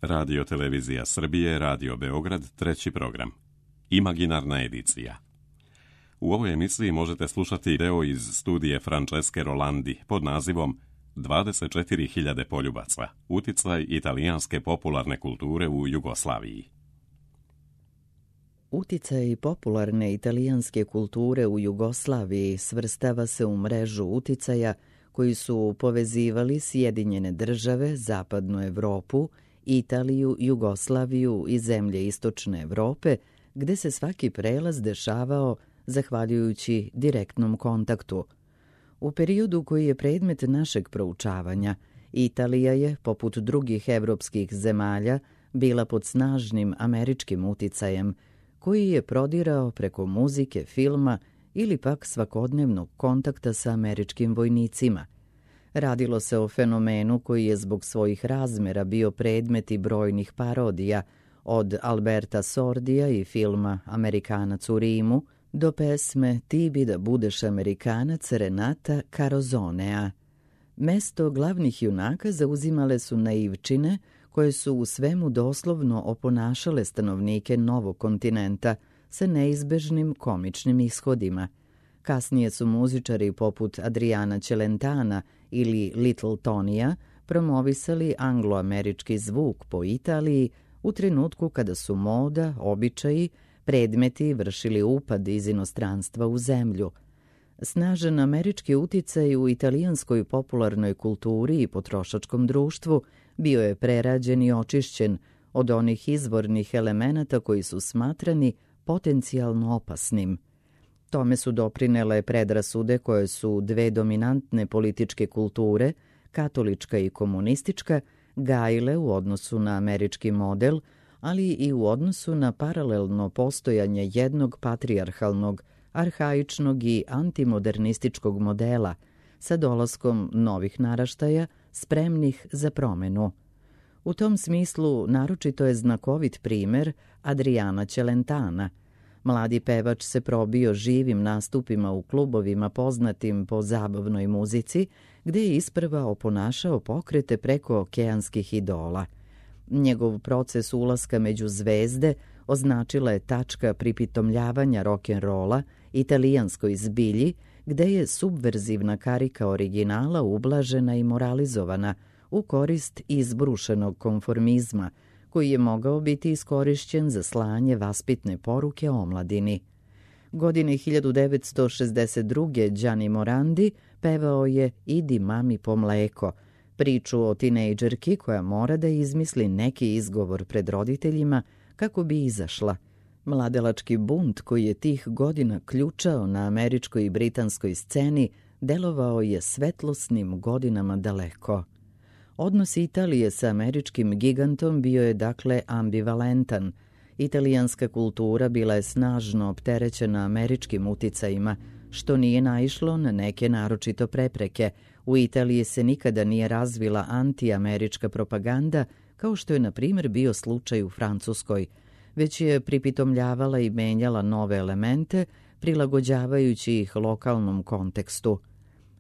Radio Televizija Srbije, Radio Beograd, treći program. Imaginarna edicija. U ovoj emisiji možete slušati deo iz studije Franceske Rolandi pod nazivom 24.000 poljubaca, uticaj italijanske popularne kulture u Jugoslaviji. Uticaj popularne italijanske kulture u Jugoslaviji svrstava se u mrežu uticaja koji su povezivali Sjedinjene države, Zapadnu Evropu, Italiju, Jugoslaviju i zemlje Istočne Evrope, gde se svaki prelaz dešavao zahvaljujući direktnom kontaktu. U periodu koji je predmet našeg proučavanja, Italija je, poput drugih evropskih zemalja, bila pod snažnim američkim uticajem, koji je prodirao preko muzike, filma ili pak svakodnevnog kontakta sa američkim vojnicima. Radilo se o fenomenu koji je zbog svojih razmera bio predmet i brojnih parodija, od Alberta Sordija i filma Amerikanac u Rimu do pesme Ti bi da budeš Amerikanac Renata Carozonea. Mesto glavnih junaka zauzimale su naivčine koje su u svemu doslovno oponašale stanovnike novog kontinenta sa neizbežnim komičnim ishodima. Kasnije su muzičari poput Adriana Celentana ili Little Tonija promovisali angloamerički zvuk po Italiji u trenutku kada su moda, običaji, predmeti vršili upad iz inostranstva u zemlju. Snažan američki uticaj u italijanskoj popularnoj kulturi i potrošačkom društvu bio je prerađen i očišćen od onih izvornih elemenata koji su smatrani potencijalno opasnim. Tome su doprinele predrasude koje su dve dominantne političke kulture, katolička i komunistička, gajile u odnosu na američki model, ali i u odnosu na paralelno postojanje jednog patrijarhalnog, arhaičnog i antimodernističkog modela sa dolaskom novih naraštaja spremnih za promenu. U tom smislu naročito je znakovit primer Adriana Celentana. Mladi pevač se probio živim nastupima u klubovima poznatim po zabavnoj muzici, gde je isprva oponašao pokrete preko okeanskih idola. Njegov proces ulaska među zvezde označila je tačka pripitomljavanja rock'n'rolla italijanskoj zbilji, gde je subverzivna karika originala ublažena i moralizovana u korist izbrušenog konformizma, koji je mogao biti iskorišćen za slanje vaspitne poruke omladini. Godine 1962. Gianni Morandi pevao je Idi mami po mleko, priču o tinejdžerki koja mora da izmisli neki izgovor pred roditeljima kako bi izašla. Mladelački bunt koji je tih godina ključao na američkoj i britanskoj sceni delovao je svetlosnim godinama daleko. Odnos Italije sa američkim gigantom bio je dakle ambivalentan. Italijanska kultura bila je snažno opterećena američkim uticajima, što nije naišlo na neke naročito prepreke. U Italiji se nikada nije razvila antiamerička propaganda, kao što je na primjer bio slučaj u Francuskoj, već je pripitomljavala i menjala nove elemente, prilagođavajući ih lokalnom kontekstu.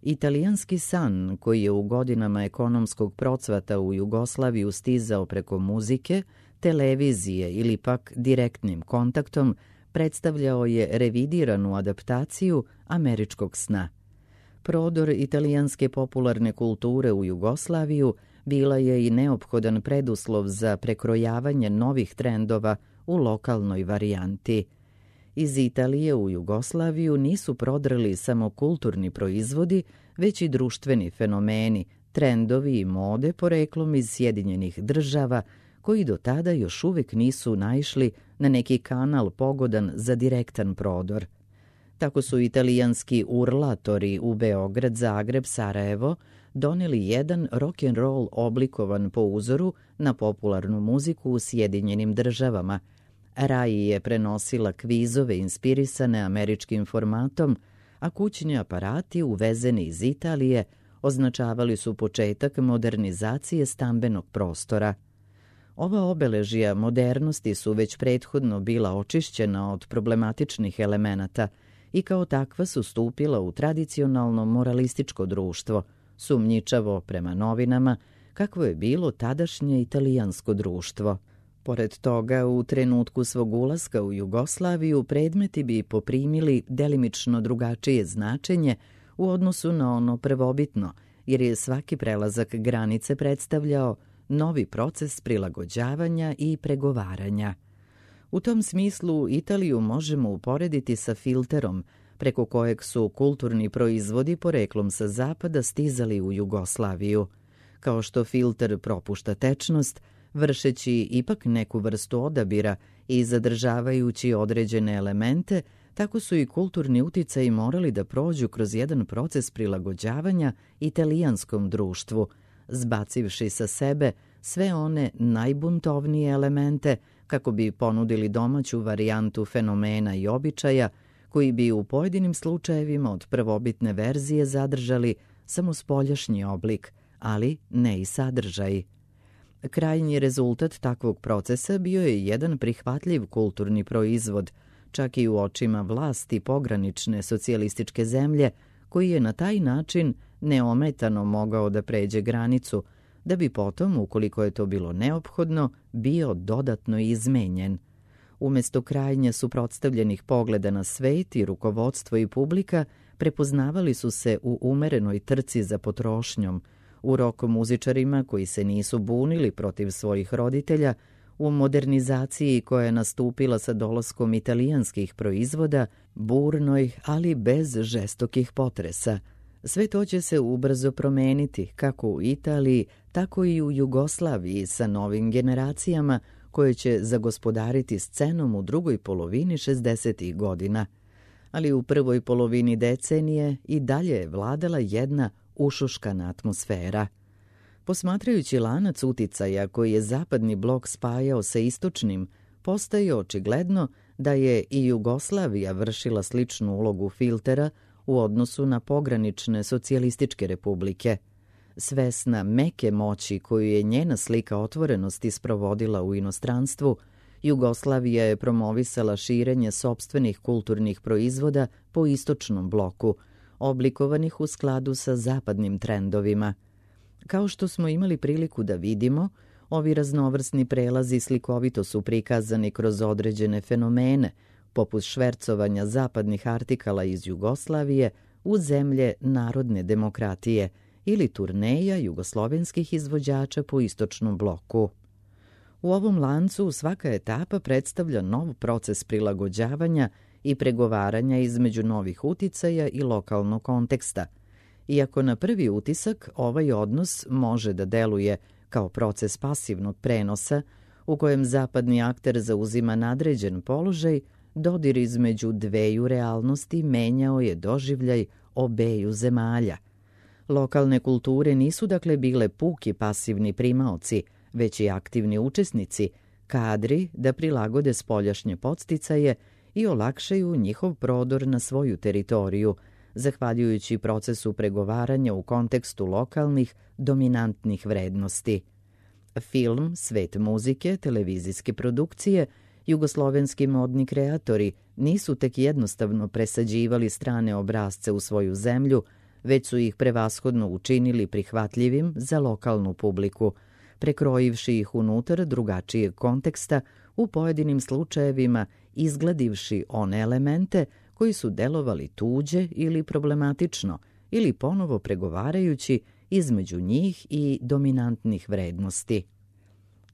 Italijanski san, koji je u godinama ekonomskog procvata u Jugoslaviju stizao preko muzike, televizije ili pak direktnim kontaktom, predstavljao je revidiranu adaptaciju američkog sna. Prodor italijanske popularne kulture u Jugoslaviju bila je i neophodan preduslov za prekrojavanje novih trendova u lokalnoj varijanti. Iz Italije u Jugoslaviju nisu prodrli samo kulturni proizvodi, već i društveni fenomeni, trendovi i mode poreklom iz Sjedinjenih država, koji do tada još uvijek nisu naišli na neki kanal pogodan za direktan prodor. Tako su italijanski urlatori u Beograd, Zagreb, Sarajevo doneli jedan rock'n'roll oblikovan po uzoru na popularnu muziku u Sjedinjenim državama. Rai je prenosila kvizove inspirisane američkim formatom, a kućni aparati uvezeni iz Italije označavali su početak modernizacije stambenog prostora. Ova obeležja modernosti su već prethodno bila očišćena od problematičnih elemenata i kao takva su stupila u tradicionalno moralističko društvo, sumnjičavo prema novinama, kakvo je bilo tadašnje italijansko društvo. Pored toga, u trenutku svog ulaska u Jugoslaviju predmeti bi poprimili delimično drugačije značenje u odnosu na ono prvobitno, jer je svaki prelazak granice predstavljao novi proces prilagođavanja i pregovaranja. U tom smislu Italiju možemo uporediti sa filterom, preko kojeg su kulturni proizvodi poreklom sa zapada stizali u Jugoslaviju. Kao što filter propušta tečnost, vršeći ipak neku vrstu odabira i zadržavajući određene elemente, tako su i kulturni uticaji morali da prođu kroz jedan proces prilagođavanja italijanskom društvu, zbacivši sa sebe sve one najbuntovnije elemente kako bi ponudili domaću varijantu fenomena i običaja koji bi u pojedinim slučajevima od prvobitne verzije zadržali samo spoljašnji oblik, ali ne i sadržaj. Krajnji rezultat takvog procesa bio je jedan prihvatljiv kulturni proizvod, čak i u očima vlasti pogranične socijalističke zemlje, koji je na taj način neometano mogao da pređe granicu, da bi potom, ukoliko je to bilo neophodno, bio dodatno izmenjen. Umesto krajnje suprotstavljenih pogleda na svet i rukovodstvo i publika, prepoznavali su se u umerenoj trci za potrošnjom, u rok muzičarima koji se nisu bunili protiv svojih roditelja, u modernizaciji koja je nastupila sa dolaskom italijanskih proizvoda, burnoj, ali bez žestokih potresa. Sve to će se ubrzo promeniti, kako u Italiji, tako i u Jugoslaviji sa novim generacijama koje će zagospodariti scenom u drugoj polovini 60. godina. Ali u prvoj polovini decenije i dalje je vladala jedna ušuškana atmosfera. Posmatrajući lanac uticaja koji je zapadni blok spajao sa istočnim, postaje očigledno da je i Jugoslavija vršila sličnu ulogu filtera u odnosu na pogranične socijalističke republike. Svesna meke moći koju je njena slika otvorenosti sprovodila u inostranstvu, Jugoslavija je promovisala širenje sopstvenih kulturnih proizvoda po istočnom bloku, oblikovanih u skladu sa zapadnim trendovima. Kao što smo imali priliku da vidimo, ovi raznovrsni prelazi slikovito su prikazani kroz određene fenomene, poput švercovanja zapadnih artikala iz Jugoslavije u zemlje narodne demokratije ili turneja jugoslovenskih izvođača po istočnom bloku. U ovom lancu svaka etapa predstavlja nov proces prilagođavanja i pregovaranja između novih uticaja i lokalnog konteksta. Iako na prvi utisak ovaj odnos može da deluje kao proces pasivnog prenosa, u kojem zapadni akter zauzima nadređen položaj, dodir između dveju realnosti menjao je doživljaj obeju zemalja. Lokalne kulture nisu dakle bile puki pasivni primaoci, već i aktivni učesnici, kadri da prilagode spoljašnje podsticaje i olakšaju njihov prodor na svoju teritoriju, zahvaljujući procesu pregovaranja u kontekstu lokalnih, dominantnih vrednosti. Film, svet muzike, televizijske produkcije, jugoslovenski modni kreatori nisu tek jednostavno presađivali strane obrazce u svoju zemlju, već su ih prevashodno učinili prihvatljivim za lokalnu publiku, prekrojivši ih unutar drugačijeg konteksta, u pojedinim slučajevima izgladivši one elemente koji su delovali tuđe ili problematično, ili ponovo pregovarajući između njih i dominantnih vrednosti.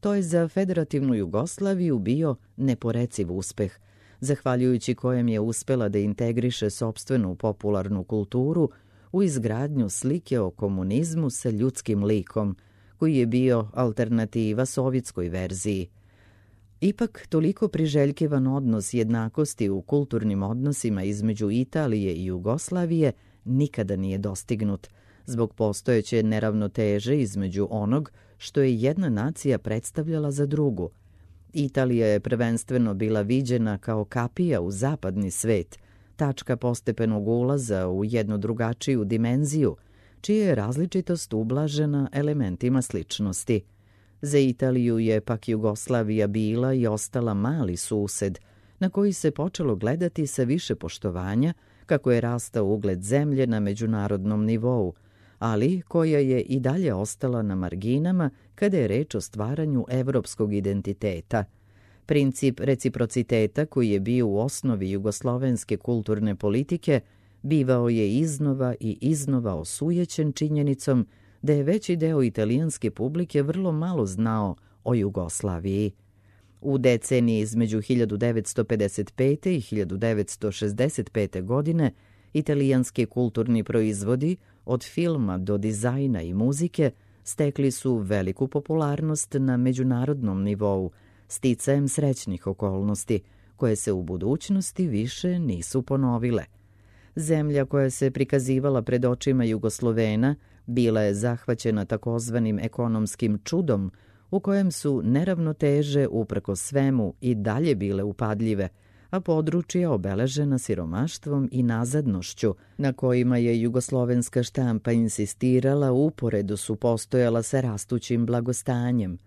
To je za federativnu Jugoslaviju bio neporeciv uspeh, zahvaljujući kojem je uspela da integriše sopstvenu popularnu kulturu u izgradnju slike o komunizmu sa ljudskim likom, koji je bio alternativa sovjetskoj verziji. Ipak, toliko priželjkivan odnos jednakosti u kulturnim odnosima između Italije i Jugoslavije nikada nije dostignut, zbog postojeće neravnoteže između onog što je jedna nacija predstavljala za drugu. Italija je prvenstveno bila viđena kao kapija u zapadni svet, tačka postepenog ulaza u jednu drugačiju dimenziju, čija je različitost ublažena elementima sličnosti. Za Italiju je pak Jugoslavija bila i ostala mali sused, na koji se počelo gledati sa više poštovanja kako je rastao ugled zemlje na međunarodnom nivou, ali koja je i dalje ostala na marginama kada je reč o stvaranju evropskog identiteta. Princip reciprociteta koji je bio u osnovi jugoslovenske kulturne politike bivao je iznova i iznova osujećen činjenicom da je veći deo italijanske publike vrlo malo znao o Jugoslaviji. U deceniji između 1955. i 1965. godine italijanski kulturni proizvodi, od filma do dizajna i muzike, stekli su veliku popularnost na međunarodnom nivou, sticajem srećnih okolnosti, koje se u budućnosti više nisu ponovile. Zemlja koja se prikazivala pred očima Jugoslovena bila je zahvaćena takozvanim ekonomskim čudom, u kojem su neravnoteže uprkos svemu i dalje bile upadljive, a područja obeležena siromaštvom i nazadnošću, na kojima je jugoslovenska štampa insistirala, uporedo su postojala sa rastućim blagostanjem.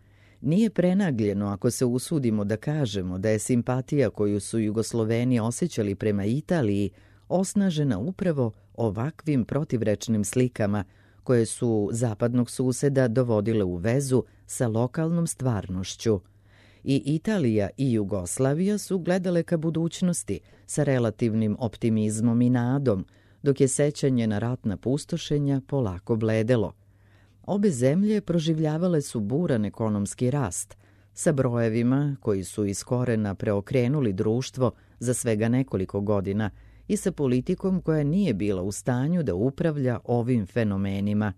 Nije prenagljeno ako se usudimo da kažemo da je simpatija koju su Jugosloveni osjećali prema Italiji osnažena upravo ovakvim protivrečnim slikama, koje su zapadnog suseda dovodile u vezu sa lokalnom stvarnošću. I Italija i Jugoslavija su gledale ka budućnosti sa relativnim optimizmom i nadom, dok je sećanje na ratna pustošenja polako bledelo. Obe zemlje proživljavale su buran ekonomski rast, sa brojevima koji su iz korena preokrenuli društvo za svega nekoliko godina i sa politikom koja nije bila u stanju da upravlja ovim fenomenima.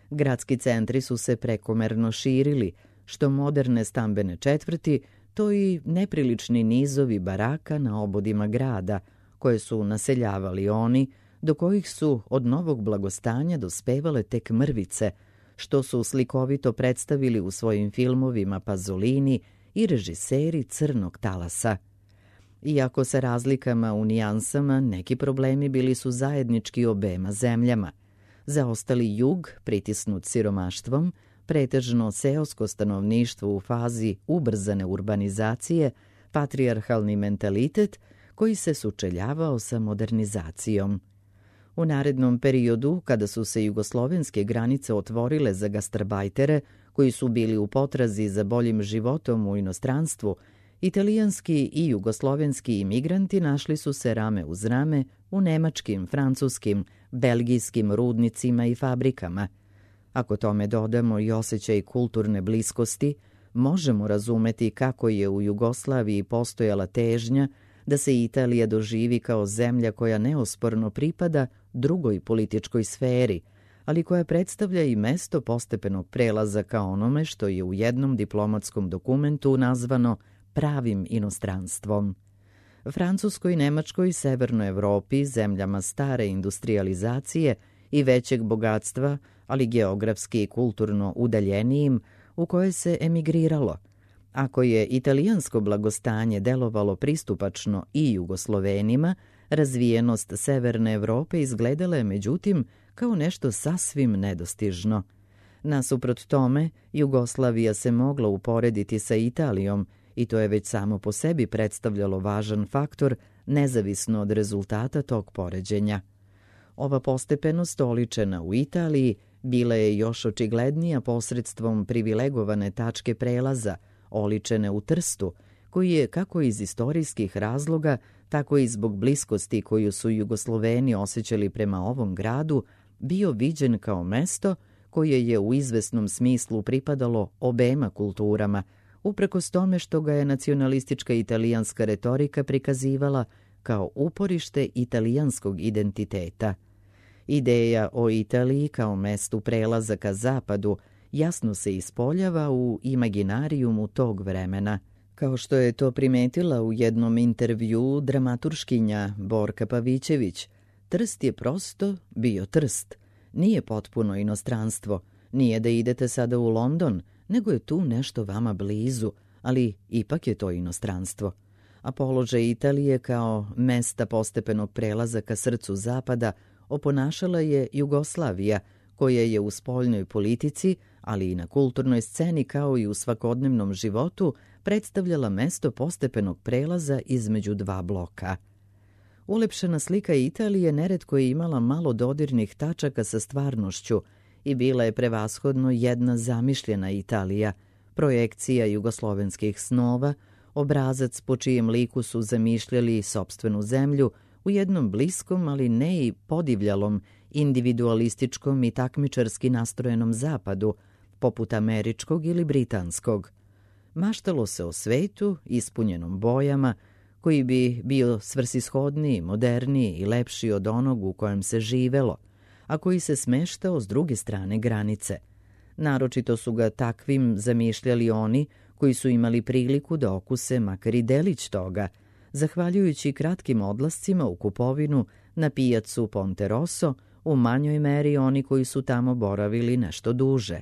Gradski centri su se prekomerno širili, što moderne stambene četvrti, to i neprilični nizovi baraka na obodima grada, koje su naseljavali oni, do kojih su od novog blagostanja dospevale tek mrvice, što su slikovito predstavili u svojim filmovima Pasolini i režiseri Crnog talasa. Iako sa razlikama u nijansama, neki problemi bili su zajednički obema zemljama. Zaostali jug, pritisnut siromaštvom, pretežno seosko stanovništvo u fazi ubrzane urbanizacije, patrijarhalni mentalitet koji se sučeljavao sa modernizacijom. U narednom periodu, kada su se jugoslovenske granice otvorile za gastarbajtere, koji su bili u potrazi za boljim životom u inostranstvu, italijanski i jugoslovenski imigranti našli su se rame uz rame u nemačkim, francuskim, belgijskim rudnicima i fabrikama. Ako tome dodamo i osjećaj kulturne bliskosti, možemo razumeti kako je u Jugoslaviji postojala težnja da se Italija doživi kao zemlja koja neosporno pripada drugoj političkoj sferi, ali koja predstavlja i mesto postepenog prelaza ka onome što je u jednom diplomatskom dokumentu nazvano pravim inostranstvom. Francuskoj, Nemačkoj i Severnoj Evropi, zemljama stare industrializacije i većeg bogatstva, ali geografski i kulturno udaljenijim, u koje se emigriralo. Ako je italijansko blagostanje delovalo pristupačno i Jugoslovenima, razvijenost Severne Evrope izgledala je međutim kao nešto sasvim nedostižno. Nasuprot tome, Jugoslavija se mogla uporediti sa Italijom i to je već samo po sebi predstavljalo važan faktor, nezavisno od rezultata tog poređenja. Ova postepenost oličena u Italiji bila je još očiglednija posredstvom privilegovane tačke prelaza, oličene u Trstu, koji je kako iz istorijskih razloga, tako i zbog bliskosti koju su Jugosloveni osjećali prema ovom gradu, bio viđen kao mesto koje je u izvesnom smislu pripadalo obema kulturama, uprkos tome što ga je nacionalistička italijanska retorika prikazivala kao uporište italijanskog identiteta. Ideja o Italiji kao mestu prelaza ka zapadu jasno se ispoljava u imaginarijumu tog vremena. Kao što je to primetila u jednom intervjuu dramaturškinja Borka Pavićević, Trst je prosto bio Trst. Nije potpuno inostranstvo, nije da idete sada u London, nego je tu nešto vama blizu, ali ipak je to inostranstvo. A položaj Italije kao mesta postepenog prelaza ka srcu zapada oponašala je Jugoslavija, koja je u spoljnoj politici, ali i na kulturnoj sceni kao i u svakodnevnom životu, predstavljala mesto postepenog prelaza između dva bloka. Ulepšana slika Italije neretko je imala malo dodirnih tačaka sa stvarnošću i bila je prevashodno jedna zamišljena Italija, projekcija jugoslovenskih snova, obrazac po čijem liku su zamišljali sopstvenu zemlju u jednom bliskom, ali ne i podivljalom, individualističkom i takmičarski nastrojenom zapadu, poput američkog ili britanskog. Maštalo se o svetu, ispunjenom bojama, koji bi bio svrsishodniji, moderniji i lepši od onog u kojem se živelo, a koji se smeštao s druge strane granice. Naročito su ga takvim zamišljali oni koji su imali priliku da okuse makar i delić toga, zahvaljujući kratkim odlascima u kupovinu na pijacu Ponte Rosso, u manjoj meri oni koji su tamo boravili nešto duže.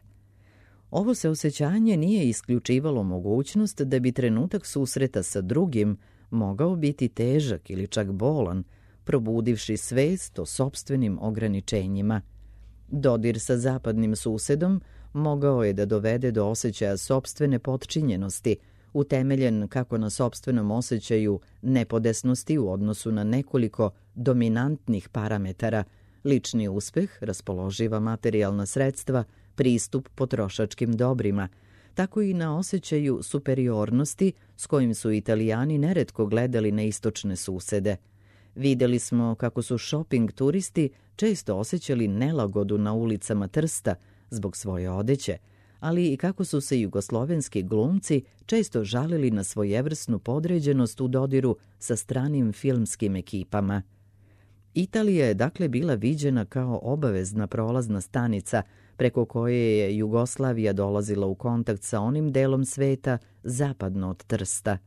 Ovo se osjećanje nije isključivalo mogućnost da bi trenutak susreta sa drugim mogao biti težak ili čak bolan, probudivši svest o sopstvenim ograničenjima. Dodir sa zapadnim susedom mogao je da dovede do osjećaja sopstvene potčinjenosti, utemeljen kako na sopstvenom osjećaju nepodesnosti u odnosu na nekoliko dominantnih parametara, lični uspeh, raspoloživa materijalna sredstva, pristup potrošačkim dobrima, tako i na osjećaju superiornosti s kojim su Italijani neretko gledali na istočne susede. Videli smo kako su šoping turisti često osjećali nelagodu na ulicama Trsta zbog svoje odeće, ali i kako su se jugoslovenski glumci često žalili na svojevrsnu podređenost u dodiru sa stranim filmskim ekipama. Italija je dakle bila viđena kao obavezna prolazna stanica preko koje je Jugoslavija dolazila u kontakt sa onim delom sveta zapadno od Trsta.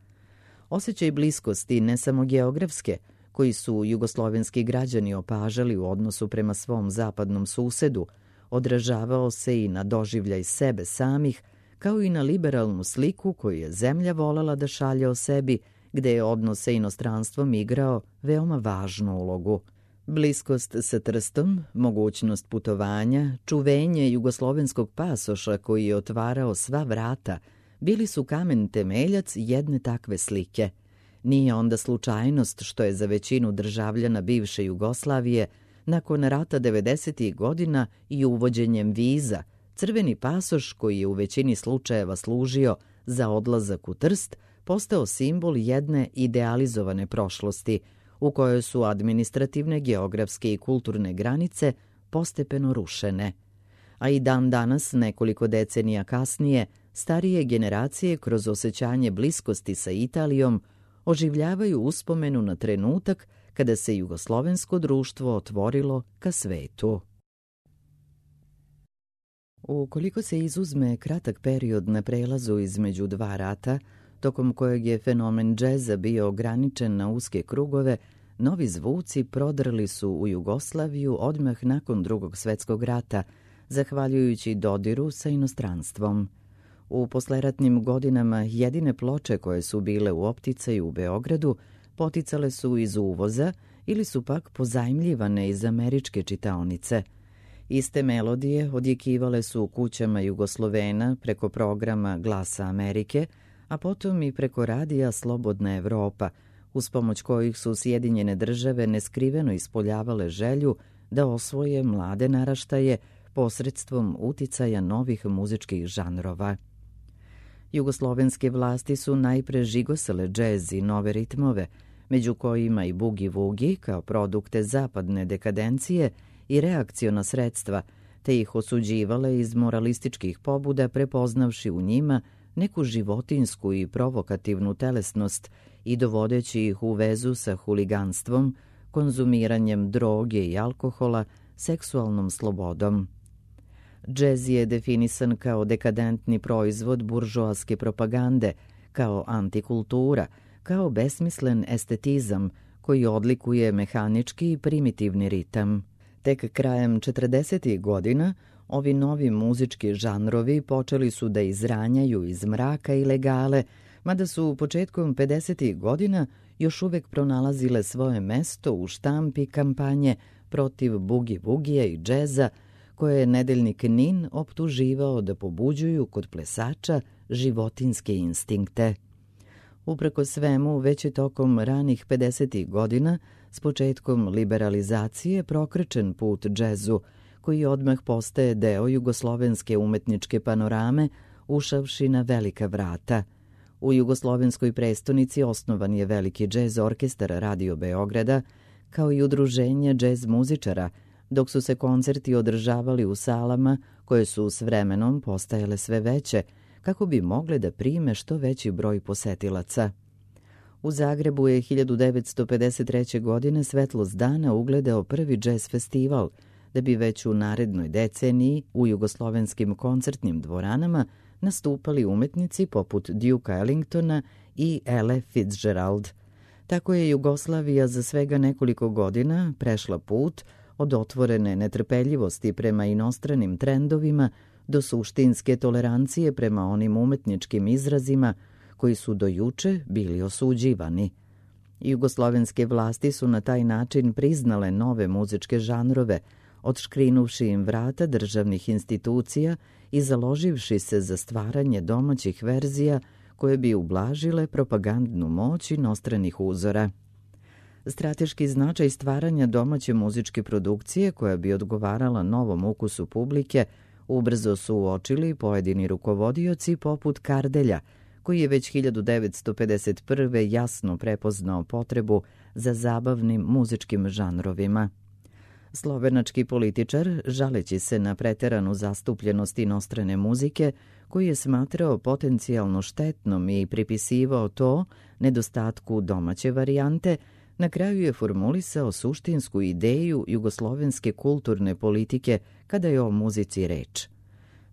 Osjećaj bliskosti, ne samo geografske, koji su jugoslovenski građani opažali u odnosu prema svom zapadnom susedu, odražavao se i na doživljaj sebe samih, kao i na liberalnu sliku koju je zemlja volela da šalje o sebi, gde je odnos sa inostranstvom igrao veoma važnu ulogu. Bliskost sa Trstom, mogućnost putovanja, čuvenje jugoslovenskog pasoša koji je otvarao sva vrata, bili su kamen temeljac jedne takve slike. Nije onda slučajnost što je za većinu državljana bivše Jugoslavije nakon rata 90. godina i uvođenjem viza, crveni pasoš koji je u većini slučajeva služio za odlazak u Trst, postao simbol jedne idealizovane prošlosti, u kojoj su administrativne, geografske i kulturne granice postepeno rušene. A i dan danas, nekoliko decenija kasnije, starije generacije kroz osjećanje bliskosti sa Italijom oživljavaju uspomenu na trenutak kada se jugoslovensko društvo otvorilo ka svetu. Ukoliko se izuzme kratak period na prelazu između dva rata, tokom kojeg je fenomen džeza bio ograničen na uske krugove, novi zvuci prodrli su u Jugoslaviju odmah nakon Drugog svjetskog rata, zahvaljujući dodiru sa inostranstvom. U posleratnim godinama jedine ploče koje su bile u opticaju u Beogradu poticale su iz uvoza ili su pak pozajmljivane iz američke čitaonice. Iste melodije odjekivale su u kućama Jugoslovena preko programa Glasa Amerike, a potom i preko radija Slobodna Evropa, uz pomoć kojih su Sjedinjene države neskriveno ispoljavale želju da osvoje mlade naraštaje posredstvom uticaja novih muzičkih žanrova. Jugoslovenske vlasti su najpre žigosale džez i nove ritmove, među kojima i bugi-vugi kao produkte zapadne dekadencije i reakciona sredstva, te ih osuđivale iz moralističkih pobuda prepoznavši u njima neku životinsku i provokativnu telesnost i dovodeći ih u vezu sa huliganstvom, konzumiranjem droge i alkohola, seksualnom slobodom. Džez je definisan kao dekadentni proizvod buržoaske propagande, kao antikultura, kao besmislen estetizam koji odlikuje mehanički i primitivni ritam. Tek krajem 40. godina ovi novi muzički žanrovi počeli su da izranjaju iz mraka ilegale, mada su početkom 50. godina još uvek pronalazile svoje mesto u štampi kampanje protiv bugi-vugija i džeza, koje je nedeljnik NIN optuživao da pobuđuju kod plesača životinske instinkte. Upreko svemu, već je tokom ranih 50. godina, s početkom liberalizacije prokrečen put džezu, koji odmah postaje deo jugoslovenske umetničke panorame, ušavši na velika vrata. U jugoslovenskoj prestonici osnovan je veliki džez orkestar Radio Beograda, kao i udruženje džez muzičara, dok su se koncerti održavali u salama koje su s vremenom postajale sve veće, kako bi mogle da prime što veći broj posetilaca. U Zagrebu je 1953. godine svetlost dana ugledao prvi džez festival, da bi već u narednoj deceniji u jugoslovenskim koncertnim dvoranama nastupali umetnici poput Duke Ellingtona i Elle Fitzgerald. Tako je Jugoslavija za svega nekoliko godina prešla put od otvorene netrpeljivosti prema inostranim trendovima do suštinske tolerancije prema onim umetničkim izrazima koji su do juče bili osuđivani. Jugoslovenske vlasti su na taj način priznale nove muzičke žanrove, odškrinuvši im vrata državnih institucija i založivši se za stvaranje domaćih verzija koje bi ublažile propagandnu moć inostranih uzora. Strateški značaj stvaranja domaće muzičke produkcije koja bi odgovarala novom ukusu publike ubrzo su uočili pojedini rukovodioci poput Kardelja, koji je već 1951. jasno prepoznao potrebu za zabavnim muzičkim žanrovima. Slovenački političar, žaleći se na preteranu zastupljenost inostrane muzike, koji je smatrao potencijalno štetnom i pripisivao to nedostatku domaće varijante, na kraju je formulisao suštinsku ideju jugoslovenske kulturne politike kada je o muzici reč.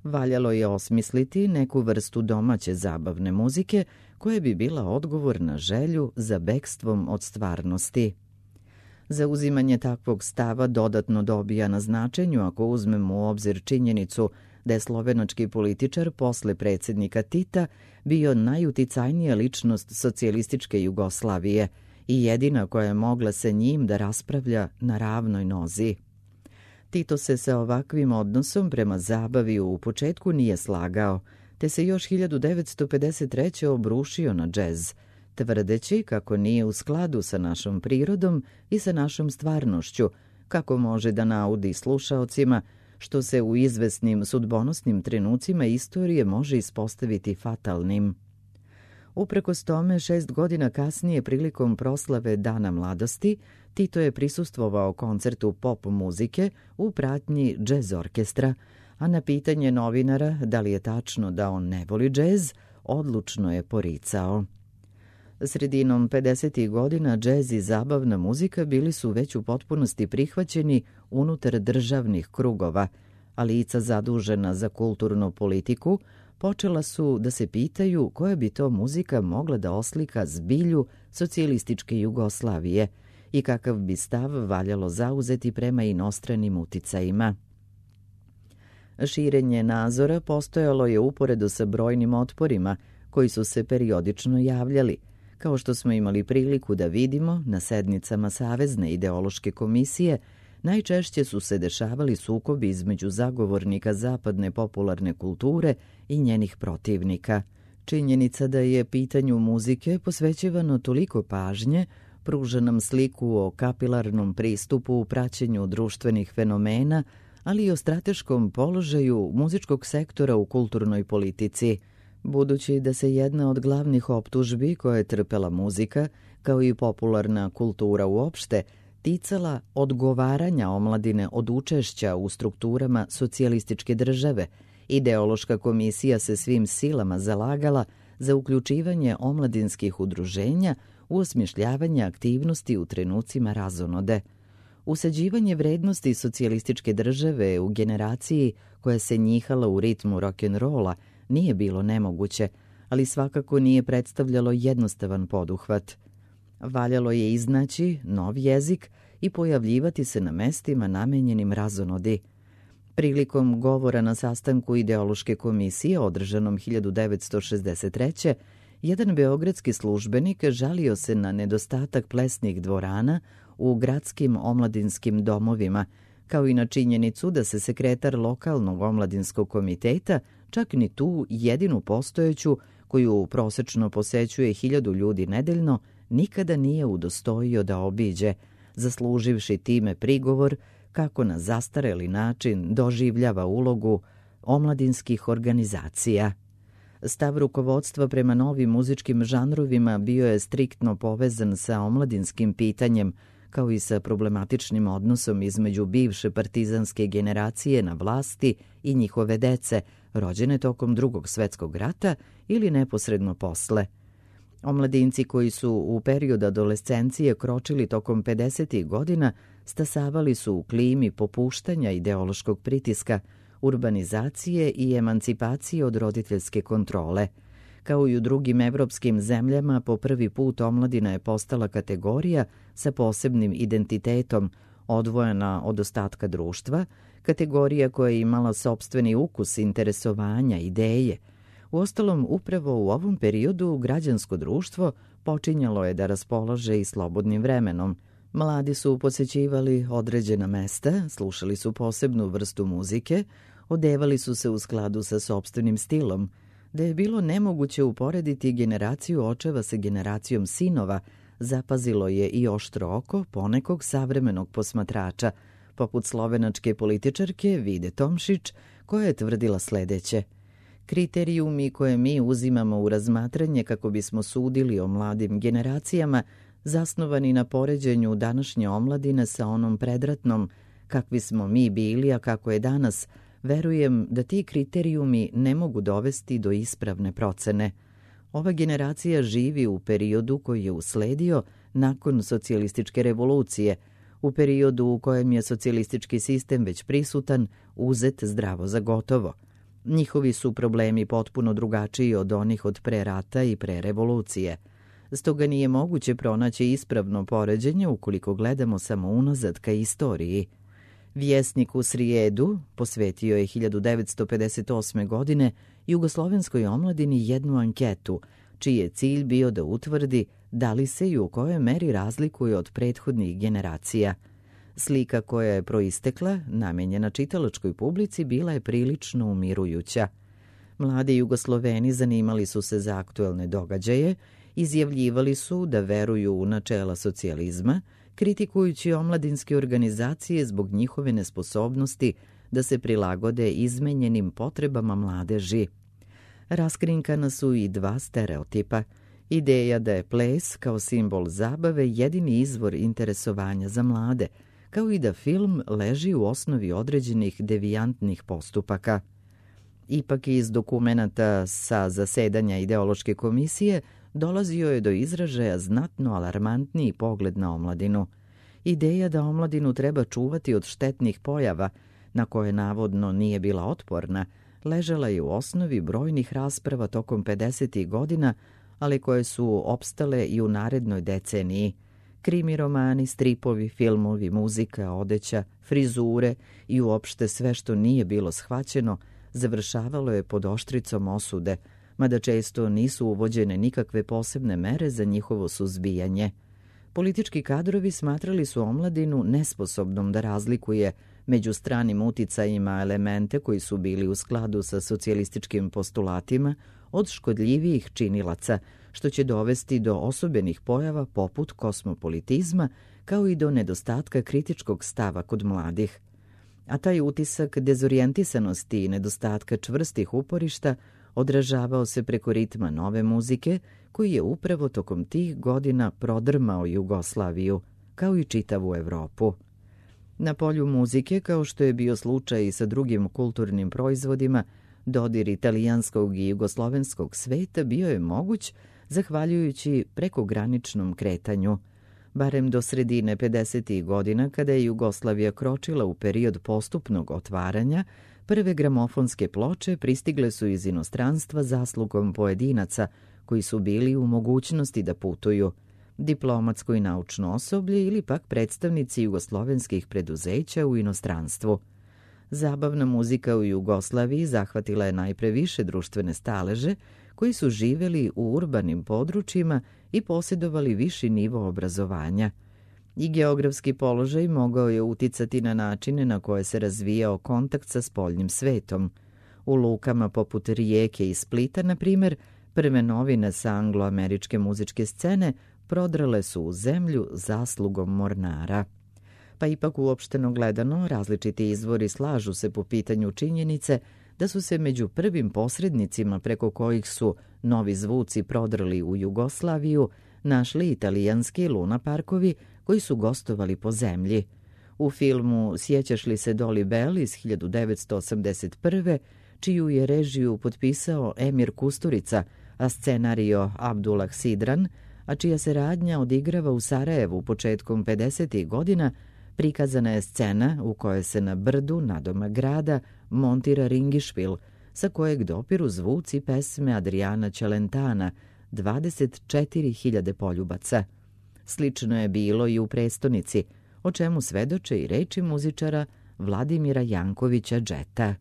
Valjalo je osmisliti neku vrstu domaće zabavne muzike koja bi bila odgovor na želju za bekstvom od stvarnosti. Zauzimanje takvog stava dodatno dobija na značenju ako uzmemo u obzir činjenicu da je slovenački političar posle predsjednika Tita bio najuticajnija ličnost socijalističke Jugoslavije i jedina koja je mogla sa njim da raspravlja na ravnoj nozi. Tito se sa ovakvim odnosom prema zabavi u početku nije slagao, te se još 1953. obrušio na džez, tvrdeći kako nije u skladu sa našom prirodom i sa našom stvarnošću, kako može da naudi slušaocima, što se u izvesnim sudbonosnim trenucima istorije može ispostaviti fatalnim. Uprkos tome, 6 godina kasnije prilikom proslave Dana mladosti, Tito je prisustvovao koncertu pop muzike u pratnji džez orkestra, a na pitanje novinara da li je tačno da on ne voli džez, odlučno je poricao. Sredinom 50. godina džez i zabavna muzika bili su već u potpunosti prihvaćeni unutar državnih krugova, a lica zadužena za kulturnu politiku počela su da se pitaju koja bi to muzika mogla da oslika zbilju socijalističke Jugoslavije i kakav bi stav valjalo zauzeti prema inostranim uticajima. Širenje nazora postojalo je uporedo sa brojnim otporima koji su se periodično javljali, kao što smo imali priliku da vidimo na sednicama Savezne ideološke komisije. Najčešće su se dešavali sukobi između zagovornika zapadne popularne kulture i njenih protivnika. Činjenica da je pitanju muzike posvećivano toliko pažnje pruža nam sliku o kapilarnom pristupu u praćenju društvenih fenomena, ali i o strateškom položaju muzičkog sektora u kulturnoj politici. Budući da se jedna od glavnih optužbi koje je trpela muzika, kao i popularna kultura uopšte, ticala odgovaranja omladine od učešća u strukturama socijalističke države, ideološka komisija se svim silama zalagala za uključivanje omladinskih udruženja u osmišljavanje aktivnosti u trenucima razonode. Usađivanje vrednosti socijalističke države u generaciji koja se njihala u ritmu rock'n'rolla nije bilo nemoguće, ali svakako nije predstavljalo jednostavan poduhvat. Valjalo je iznaći nov jezik i pojavljivati se na mestima namenjenim razonodi. Prilikom govora na sastanku ideološke komisije održanom 1963. jedan beogradski službenik žalio se na nedostatak plesnih dvorana u gradskim omladinskim domovima, kao i na činjenicu da se sekretar lokalnog omladinskog komiteta čak ni tu jedinu postojeću, koju prosečno posećuje 1000 ljudi nedeljno, nikada nije udostojio da obiđe, zasluživši time prigovor kako na zastareli način doživljava ulogu omladinskih organizacija. Stav rukovodstva prema novim muzičkim žanrovima bio je striktno povezan sa omladinskim pitanjem, kao i sa problematičnim odnosom između bivše partizanske generacije na vlasti i njihove dece, rođene tokom Drugog svjetskog rata ili neposredno posle. Omladinci koji su u periodu adolescencije kročili tokom 50. godina stasavali su u klimi popuštanja ideološkog pritiska, urbanizacije i emancipacije od roditeljske kontrole. Kao i u drugim evropskim zemljama, po prvi put omladina je postala kategorija sa posebnim identitetom, odvojena od ostatka društva, kategorija koja je imala sopstveni ukus, interesovanja, ideje. Uostalom, upravo u ovom periodu građansko društvo počinjalo je da raspolaže i slobodnim vremenom. Mladi su posećivali određena mesta, slušali su posebnu vrstu muzike, odevali su se u skladu sa sopstvenim stilom, da je bilo nemoguće uporediti generaciju očeva sa generacijom sinova, zapazilo je i oštro oko ponekog savremenog posmatrača, poput slovenačke političarke Vide Tomšić, koja je tvrdila sledeće: kriterijumi koje mi uzimamo u razmatranje kako bismo sudili o mladim generacijama, zasnovani na poređenju današnje omladine sa onom predratnom, kakvi smo mi bili, a kako je danas, verujem da ti kriterijumi ne mogu dovesti do ispravne procene. Ova generacija živi u periodu koji je usledio nakon socijalističke revolucije, u periodu u kojem je socijalistički sistem već prisutan, uzet zdravo za gotovo. Njihovi su problemi potpuno drugačiji od onih od pre rata i pre revolucije. Stoga nije moguće pronaći ispravno poređenje ukoliko gledamo samo unazad ka istoriji. Vjesnik u srijedu posvetio je 1958. godine jugoslovenskoj omladini jednu anketu, čiji je cilj bio da utvrdi da li se i u kojoj meri razlikuje od prethodnih generacija. Slika koja je proistekla, namenjena čitalačkoj publici, bila je prilično umirujuća. Mladi Jugosloveni zanimali su se za aktuelne događaje, izjavljivali su da veruju u načela socijalizma, kritikujući omladinske organizacije zbog njihove nesposobnosti da se prilagode izmenjenim potrebama mladeži. Raskrinkana su i dva stereotipa. Ideja da je ples kao simbol zabave jedini izvor interesovanja za mlade, kao i da film leži u osnovi određenih devijantnih postupaka. Ipak iz dokumenata sa zasedanja ideološke komisije dolazio je do izražaja znatno alarmantniji pogled na omladinu. Ideja da omladinu treba čuvati od štetnih pojava, na koje navodno nije bila otporna, ležala je u osnovi brojnih rasprava tokom 50. godina, ali koje su opstale i u narednoj deceniji. Krimi romani, stripovi, filmovi, muzika, odeća, frizure i uopšte sve što nije bilo shvaćeno završavalo je pod oštricom osude, mada često nisu uvođene nikakve posebne mere za njihovo suzbijanje. Politički kadrovi smatrali su omladinu nesposobnom da razlikuje među stranim uticajima elemente koji su bili u skladu sa socijalističkim postulatima od škodljivijih činilaca, što će dovesti do osobenih pojava poput kosmopolitizma, kao i do nedostatka kritičkog stava kod mladih. A taj utisak dezorijentisanosti i nedostatka čvrstih uporišta odražavao se preko ritma nove muzike, koji je upravo tokom tih godina prodrmao Jugoslaviju, kao i čitavu Evropu. Na polju muzike, kao što je bio slučaj i sa drugim kulturnim proizvodima, dodir italijanskog i jugoslovenskog sveta bio je moguć zahvaljujući prekograničnom kretanju. Barem do sredine 50. godina, kada je Jugoslavija kročila u period postupnog otvaranja, prve gramofonske ploče pristigle su iz inostranstva zaslugom pojedinaca koji su bili u mogućnosti da putuju, diplomatsko i naučno osoblje ili pak predstavnici jugoslovenskih preduzeća u inostranstvu. Zabavna muzika u Jugoslaviji zahvatila je najpre više društvene staleže koji su živeli u urbanim područjima i posjedovali viši nivo obrazovanja. I geografski položaj mogao je uticati na načine na koje se razvijao kontakt sa spoljnim svetom. U lukama poput Rijeke i Splita, na primjer, prve novine sa angloameričke muzičke scene prodrale su u zemlju zaslugom mornara. Pa ipak uopšteno gledano, različiti izvori slažu se po pitanju činjenice da su se među prvim posrednicima preko kojih su novi zvuci prodrli u Jugoslaviju našli italijanski lunaparkovi koji su gostovali po zemlji. U filmu Sjećaš li se Dolly Bell iz 1981. čiju je režiju potpisao Emir Kusturica, a scenario Abdullah Sidran, a čija se radnja odigrava u Sarajevu početkom 50. godina, prikazana je scena u kojoj se na brdu nadomak grada montira ringišpil, sa kojeg dopiru zvuci pesme Adriana Celentana, 24.000 poljubaca. Slično je bilo i u prestonici, o čemu svedoče i reči muzičara Vladimira Jankovića Džeta.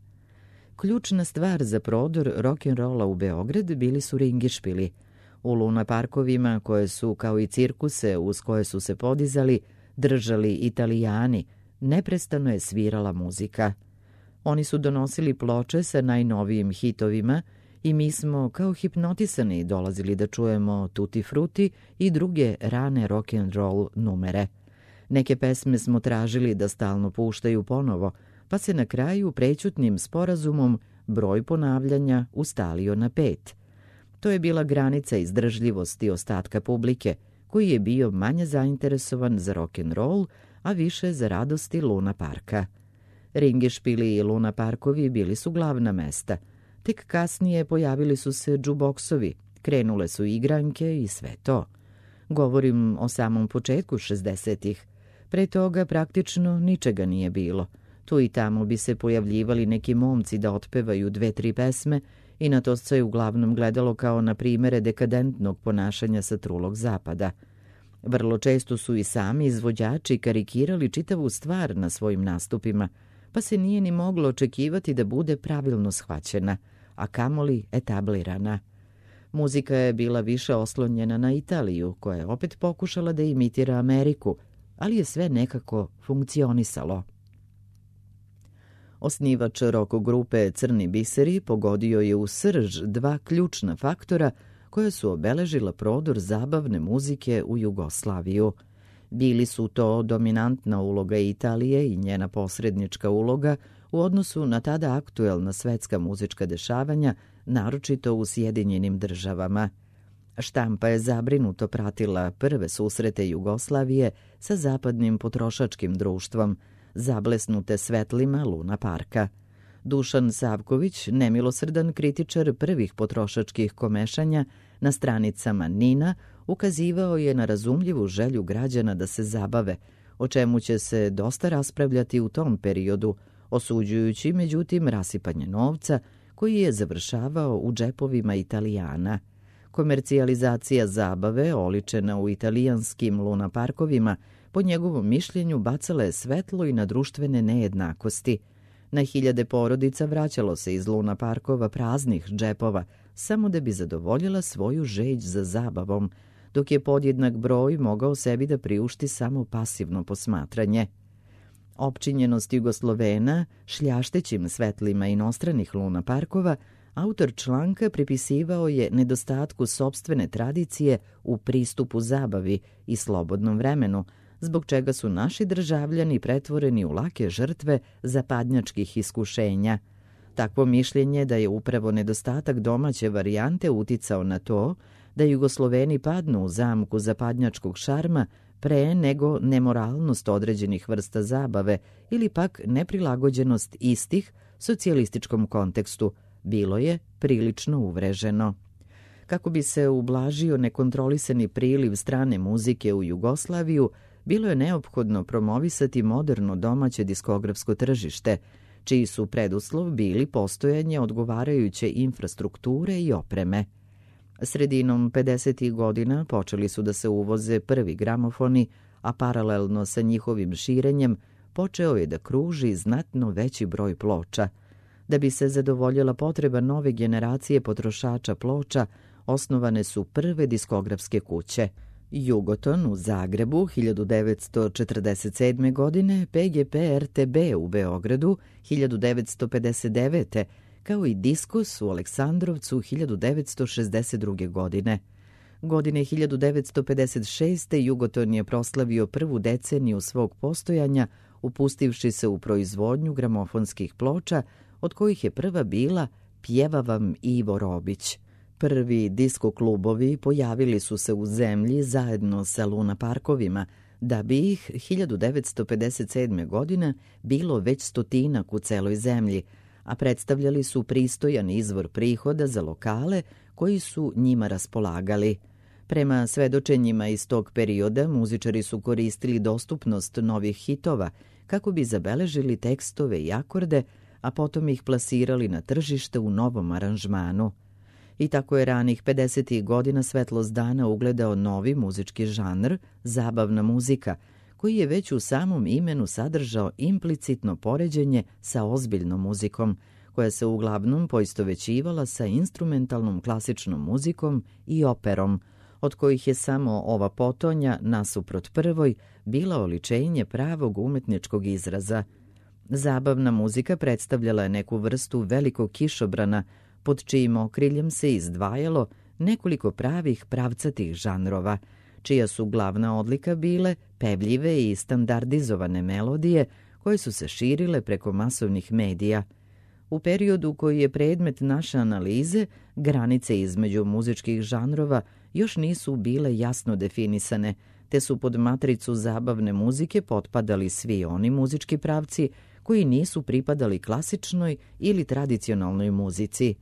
Ključna stvar za prodor rock'n'rolla u Beograd bili su ringišpili. U lunaparkovima, koje su, kao i cirkuse uz koje su se podizali, držali Italijani, neprestano je svirala muzika. Oni su donosili ploče sa najnovijim hitovima i mi smo kao hipnotisani dolazili da čujemo Tutti Frutti i druge rane rock'n'roll numere. Neke pesme smo tražili da stalno puštaju ponovo, pa se na kraju prećutnim sporazumom broj ponavljanja ustalio na 5. To je bila granica izdržljivosti ostatka publike, koji je bio manje zainteresovan za rock'n'roll, a više za radosti Luna Parka. Ringišpili i Luna Parkovi bili su glavna mesta. Tek kasnije pojavili su se džuboksovi, krenule su igranke i sve to. Govorim o samom početku 60-ih. Pre toga praktično ničega nije bilo. Tu i tamo bi se pojavljivali neki momci da otpevaju 2-3 pesme i na to se uglavnom gledalo kao na primere dekadentnog ponašanja sa trulog zapada. Vrlo često su i sami izvođači karikirali čitavu stvar na svojim nastupima, pa se nije ni moglo očekivati da bude pravilno shvaćena, a kamoli etablirana. Muzika je bila više oslonjena na Italiju, koja je opet pokušala da imitira Ameriku, ali je sve nekako funkcionisalo. Osnivač rock grupe Crni biseri pogodio je u srž 2 ključna faktora koja su obeležila prodor zabavne muzike u Jugoslaviju. Bili su to dominantna uloga Italije i njena posrednička uloga u odnosu na tada aktuelna svetska muzička dešavanja, naročito u Sjedinjenim državama. Štampa je zabrinuto pratila prve susrete Jugoslavije sa zapadnim potrošačkim društvom, zablesnute svetlima Luna Parka. Dušan Savković, nemilosrdan kritičar prvih potrošačkih komešanja, na stranicama Nina ukazivao je na razumljivu želju građana da se zabave, o čemu će se dosta raspravljati u tom periodu, osuđujući međutim rasipanje novca koji je završavao u džepovima Italijana. Komercijalizacija zabave, oličena u italijanskim lunaparkovima, po njegovom mišljenju bacala je svetlo i na društvene nejednakosti. Na hiljade porodica vraćalo se iz lunaparkova praznih džepova, samo da bi zadovoljila svoju žeđ za zabavom, dok je podjednak broj mogao sebi da priušti samo pasivno posmatranje. Opčinjenost Jugoslovena šljaštećim svetlima inostranih lunaparkova, autor članka pripisivao je nedostatku sopstvene tradicije u pristupu zabavi i slobodnom vremenu, zbog čega su naši državljani pretvoreni u lake žrtve zapadnjačkih iskušenja. Takvo mišljenje da je upravo nedostatak domaće varijante uticao na to da Jugosloveni padnu u zamku zapadnjačkog šarma pre nego nemoralnost određenih vrsta zabave ili pak neprilagođenost istih socijalističkom kontekstu, bilo je prilično uvreženo. Kako bi se ublažio nekontrolisani priliv strane muzike u Jugoslaviju, bilo je neophodno promovisati moderno domaće diskografsko tržište, čiji su preduslov bili postojanje odgovarajuće infrastrukture i opreme. Sredinom 50. godina počeli su da se uvoze prvi gramofoni, a paralelno sa njihovim širenjem počeo je da kruži znatno veći broj ploča. Da bi se zadovoljila potreba nove generacije potrošača ploča, osnovane su prve diskografske kuće. Jugoton u Zagrebu 1947. godine, PGP RTB u Beogradu 1959. kao i Diskus u Aleksandrovcu 1962. godine. Godine 1956. Jugoton je proslavio prvu deceniju svog postojanja, upustivši se u proizvodnju gramofonskih ploča, od kojih je prva bila Pjeva vam Ivo Robić. Prvi disko klubovi pojavili su se u zemlji zajedno sa Luna parkovima, da bi ih 1957. godine bilo već stotinak u celoj zemlji, a predstavljali su pristojan izvor prihoda za lokale koji su njima raspolagali. Prema svedočenjima iz tog perioda, muzičari su koristili dostupnost novih hitova kako bi zabeležili tekstove i akorde, a potom ih plasirali na tržište u novom aranžmanu. I tako je ranih 50. godina svetlost dana ugledao novi muzički žanr, zabavna muzika, koji je već u samom imenu sadržao implicitno poređenje sa ozbiljnom muzikom, koja se uglavnom poistovećivala sa instrumentalnom klasičnom muzikom i operom, od kojih je samo ova potonja, nasuprot prvoj, bila oličenje pravog umetničkog izraza. Zabavna muzika predstavljala je neku vrstu velikog kišobrana, pod čijim okriljem se izdvajalo nekoliko pravih pravcatih žanrova, čija su glavna odlika bile pevljive i standardizovane melodije koje su se širile preko masovnih medija. U periodu koji je predmet naše analize, granice između muzičkih žanrova još nisu bile jasno definisane, te su pod matricu zabavne muzike potpadali svi oni muzički pravci koji nisu pripadali klasičnoj ili tradicionalnoj muzici.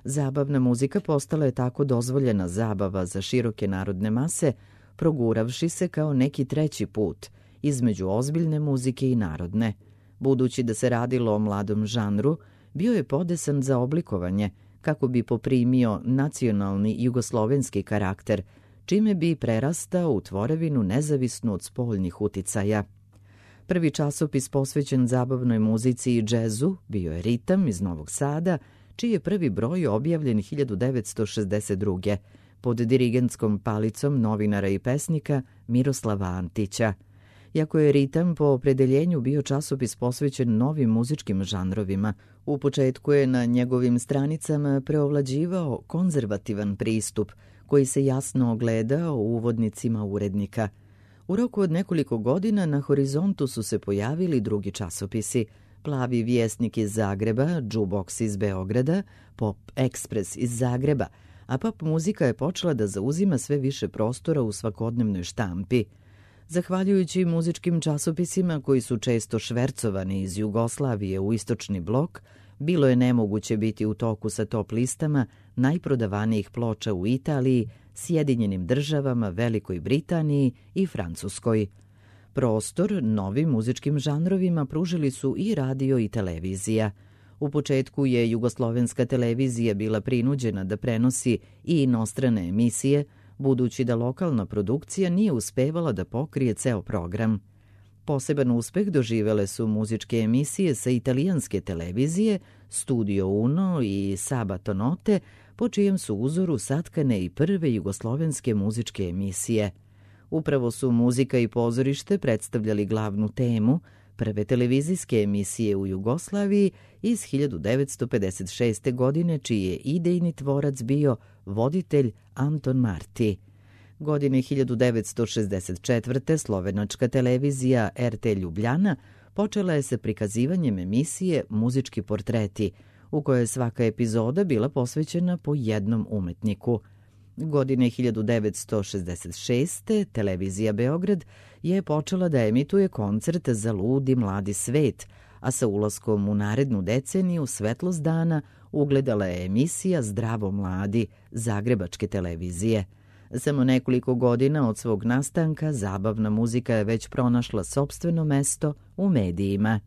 Zabavna muzika postala je tako dozvoljena zabava za široke narodne mase, proguravši se kao neki treći put između ozbiljne muzike i narodne. Budući da se radilo o mladom žanru, bio je podesan za oblikovanje kako bi poprimio nacionalni jugoslovenski karakter, čime bi prerastao u tvorevinu nezavisnu od spoljnih uticaja. Prvi časopis posvećen zabavnoj muzici i džezu bio je Ritam iz Novog Sada, čiji je prvi broj objavljen 1962. pod dirigentskom palicom novinara i pesnika Miroslava Antića. Iako je Ritam po opredeljenju bio časopis posvećen novim muzičkim žanrovima, u početku je na njegovim stranicama preovlađivao konzervativan pristup, koji se jasno ogledao u uvodnicima urednika. U roku od nekoliko godina na horizontu su se pojavili drugi časopisi: Plavi vjesnik iz Zagreba, Jukebox iz Beograda, Pop Express iz Zagreba, a pop muzika je počela da zauzima sve više prostora u svakodnevnoj štampi. Zahvaljujući muzičkim časopisima koji su često švercovani iz Jugoslavije u istočni blok, bilo je nemoguće biti u toku sa top listama najprodavanijih ploča u Italiji, Sjedinjenim Državama, Velikoj Britaniji i Francuskoj. Prostor novim muzičkim žanrovima pružili su i radio i televizija. U početku je jugoslovenska televizija bila prinuđena da prenosi i inostrane emisije, budući da lokalna produkcija nije uspevala da pokrije ceo program. Poseban uspeh doživele su muzičke emisije sa italijanske televizije, Studio Uno i Sabato Note, po čijem su uzoru satkane i prve jugoslovenske muzičke emisije. Upravo su muzika i pozorište predstavljali glavnu temu prve televizijske emisije u Jugoslaviji iz 1956. godine, čiji je idejni tvorac bio voditelj Anton Marti. Godine 1964. slovenačka televizija RT Ljubljana počela je sa prikazivanjem emisije Muzički portreti, u kojoj je svaka epizoda bila posvećena po jednom umetniku. Godine 1966. televizija Beograd je počela da emituje koncert za ludi mladi svet, a sa ulaskom u narednu deceniju svetlost dana ugledala je emisija Zdravo mladi Zagrebačke televizije. Samo nekoliko godina od svog nastanka zabavna muzika je već pronašla sopstveno mesto u medijima.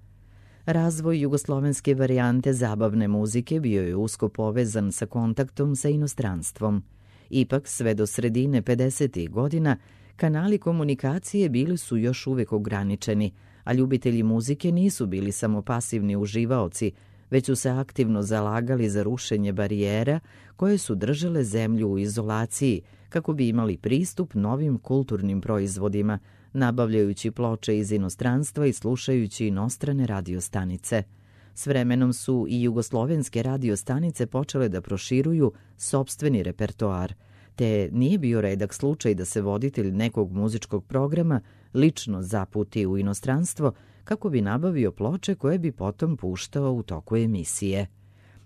Razvoj jugoslovenske varijante zabavne muzike bio je usko povezan sa kontaktom sa inostranstvom. Ipak, sve do sredine 50. godina, kanali komunikacije bili su još uvek ograničeni, a ljubitelji muzike nisu bili samo pasivni uživaoci, već su se aktivno zalagali za rušenje barijera koje su držale zemlju u izolaciji, kako bi imali pristup novim kulturnim proizvodima, nabavljajući ploče iz inostranstva i slušajući inostrane radiostanice. S vremenom su i jugoslovenske radiostanice počele da proširuju sopstveni repertoar, te nije bio redak slučaj da se voditelj nekog muzičkog programa lično zaputi u inostranstvo kako bi nabavio ploče koje bi potom puštao u toku emisije.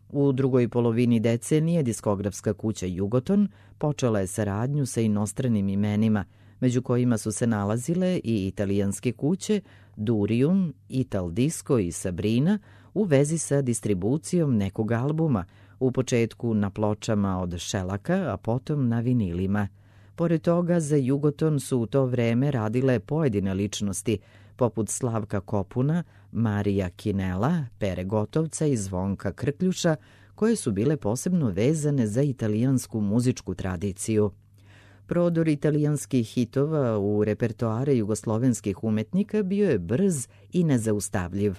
U drugoj polovini decenije diskografska kuća Jugoton počela je saradnju sa inostranim imenima, među kojima su se nalazile i italijanske kuće Durium, Ital Disco i Sabrina u vezi sa distribucijom nekog albuma, u početku na pločama od šelaka, a potom na vinilima. Pored toga, za Jugoton su u to vreme radile pojedine ličnosti, poput Slavka Kopuna, Marija Kinela, Pere Gotovca i Zvonka Krkljuša, koje su bile posebno vezane za italijansku muzičku tradiciju. Prodor italijanskih hitova u repertoare jugoslovenskih umetnika bio je brz i nezaustavljiv.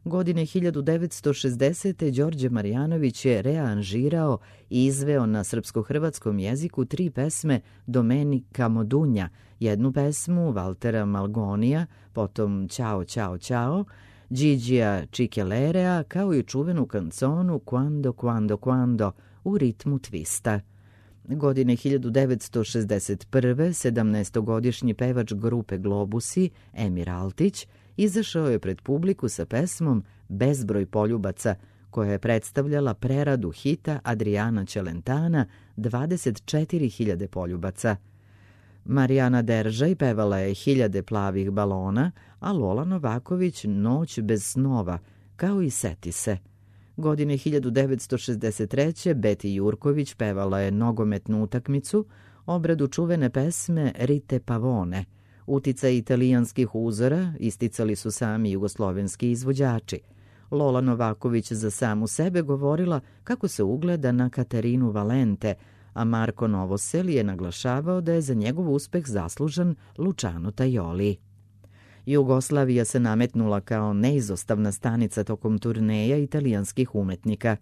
Godine 1960. Đorđe Marjanović je rearanžirao i izveo na srpsko-hrvatskom jeziku 3 pesme Domenika Modunja, jednu pesmu Valtera Malgonija, potom Ćao, Ćao, Ćao, Gigija Čikelerea, kao i čuvenu kanconu Quando, Quando, Quando u ritmu twista. Godine 1961. 17-godišnji pevač grupe Globusi, Emir Altić, izašao je pred publiku sa pesmom Bezbroj poljubaca, koja je predstavljala preradu hita Adriana Celentana 24.000 poljubaca. Marijana Deržaj pevala je Hiljade plavih balona, a Lola Novaković Noć bez snova, kao i Seti se. Godine 1963. Beti Jurković pevala je nogometnu utakmicu, obradu čuvene pesme Rite Pavone. Uticaj italijanskih uzora isticali su sami jugoslovenski izvođači. Lola Novaković za samu sebe govorila kako se ugleda na Katarinu Valente, a Marko Novosel je naglašavao da je za njegov uspeh zaslužan Luciano Tajoli. Jugoslavija se nametnula kao neizostavna stanica tokom turneja italijanskih umetnika.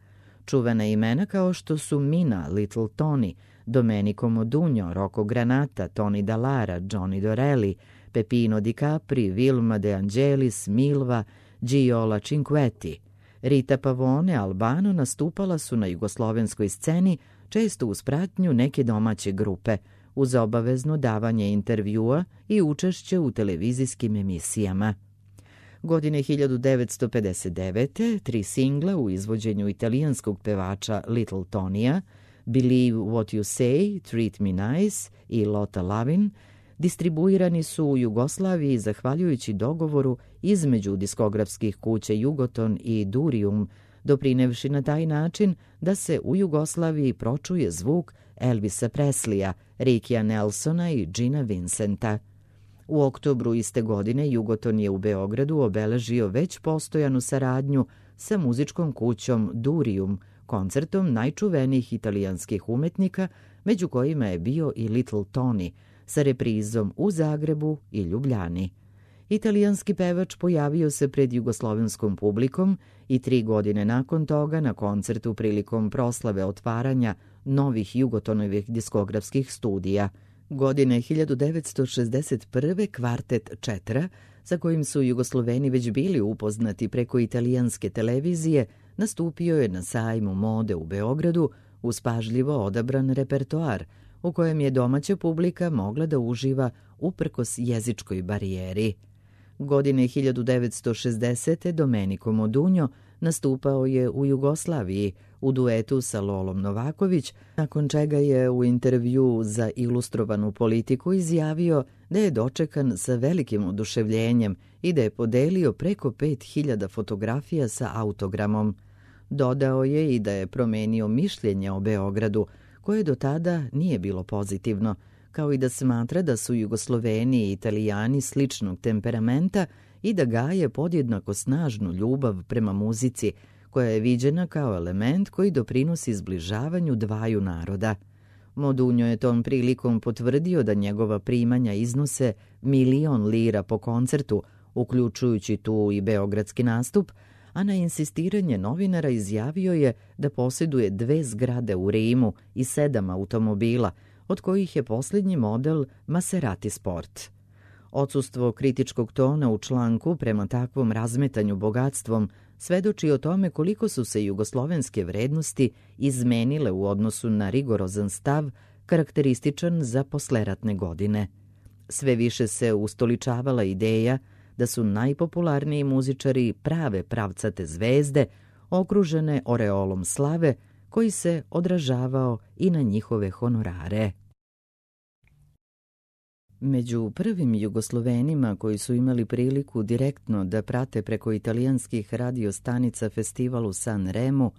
Čuvena imena kao što su Mina, Little Tony, Domenico Modugno, Rocco Granata, Tony Dallara, Johnny Dorelli, Peppino Di Capri, Vilma De Angelis, Milva, Giola Cinquetti. Rita Pavone, Albano nastupala su na jugoslovenskoj sceni često uz pratnju neke domaće grupe, uz obavezno davanje intervjua i učešće u televizijskim emisijama. Godine 1959. 3 singla u izvođenju italijanskog pevača Little Tonija, Believe What You Say, Treat Me Nice i Lotta Lavin, distribuirani su u Jugoslaviji zahvaljujući dogovoru između diskografskih kuća Jugoton i Durium, doprinevši na taj način da se u Jugoslaviji pročuje zvuk Elvisa Presleya, Rikija Nelsona i Gina Vincenta. U oktobru iste godine Jugoton je u Beogradu obeležio već postojanu saradnju sa muzičkom kućom Durium, koncertom najčuvenijih italijanskih umetnika, među kojima je bio i Little Tony, sa reprizom u Zagrebu i Ljubljani. Italijanski pevač pojavio se pred jugoslovenskom publikom i 3 godine nakon toga na koncertu prilikom proslave otvaranja novih Jugotonovih diskografskih studija. Godine 1961. kvartet Četra, sa kojim su Jugosloveni već bili upoznati preko italijanske televizije, nastupio je na sajmu mode u Beogradu uz pažljivo odabran repertoar, u kojem je domaća publika mogla da uživa uprkos jezičkoj barijeri. Godine 1960. Domenico Modugno nastupao je u Jugoslaviji u duetu sa Lolom Novaković, nakon čega je u intervju za Ilustrovanu politiku izjavio da je dočekan sa velikim oduševljenjem i da je podelio preko 5000 fotografija sa autogramom. Dodao je i da je promenio mišljenje o Beogradu, koje do tada nije bilo pozitivno, kao i da smatra da su Jugosloveni i Italijani sličnog temperamenta i da gaje podjednako snažnu ljubav prema muzici, koja je viđena kao element koji doprinosi zbližavanju dvaju naroda. Modugno je tom prilikom potvrdio da njegova primanja iznose 1.000.000 lira po koncertu, uključujući tu i beogradski nastup, a na insistiranje novinara izjavio je da posjeduje 2 zgrade u Rimu i 7 automobila, od kojih je posljednji model Maserati Sport. Odsustvo kritičkog tona u članku prema takvom razmetanju bogatstvom svedoči o tome koliko su se jugoslovenske vrednosti izmenile u odnosu na rigorozan stav karakterističan za posleratne godine. Sve više se ustoličavala ideja da su najpopularniji muzičari prave pravcate zvezde, okružene oreolom slave, koji se odražavao i na njihove honorare. Među prvim Jugoslovenima koji su imali priliku direktno da prate preko italijanskih radiostanica festival u San Remu,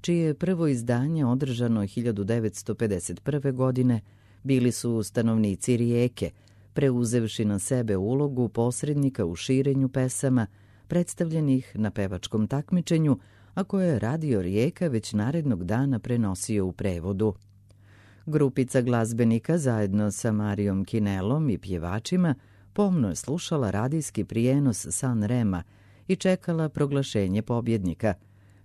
čije je prvo izdanje održano 1951. godine, bili su stanovnici Rijeke, preuzevši na sebe ulogu posrednika u širenju pesama, predstavljenih na pevačkom takmičenju, a koje je Radio Rijeka već narednog dana prenosio u prevodu. Grupica glazbenika zajedno sa Marijom Kinelom i pjevačima pomno je slušala radijski prijenos San Rema i čekala proglašenje pobjednika.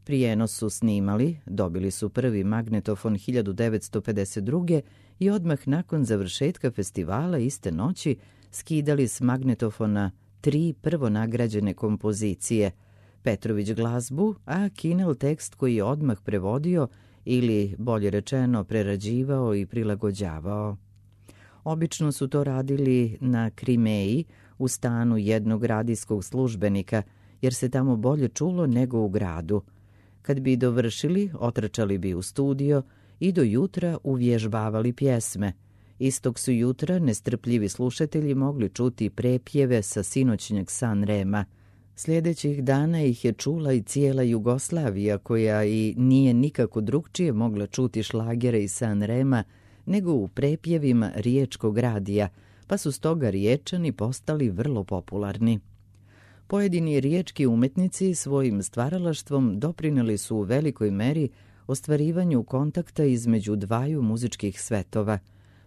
Prijenos su snimali, dobili su prvi magnetofon 1952. i odmah nakon završetka festivala iste noći skidali s magnetofona 3 prvonagrađene kompozicije, Petrović glazbu, a Kinel tekst koji je odmah prevodio ili, bolje rečeno, prerađivao i prilagođavao. Obično su to radili na Krimeji, u stanu jednog radijskog službenika, jer se tamo bolje čulo nego u gradu. Kad bi dovršili, otrčali bi u studio i do jutra uvježbavali pjesme. Istog su jutra nestrpljivi slušatelji mogli čuti prepjeve sa sinoćnjeg San Rema. Sljedećih dana ih je čula i cijela Jugoslavija, koja i nije nikako drugčije mogla čuti šlagere iz San Rema nego u prepjevima riječkog radija, pa su stoga Riječani postali vrlo popularni. Pojedini riječki umetnici svojim stvaralaštvom doprinijeli su u velikoj meri ostvarivanju kontakta između dvaju muzičkih svetova.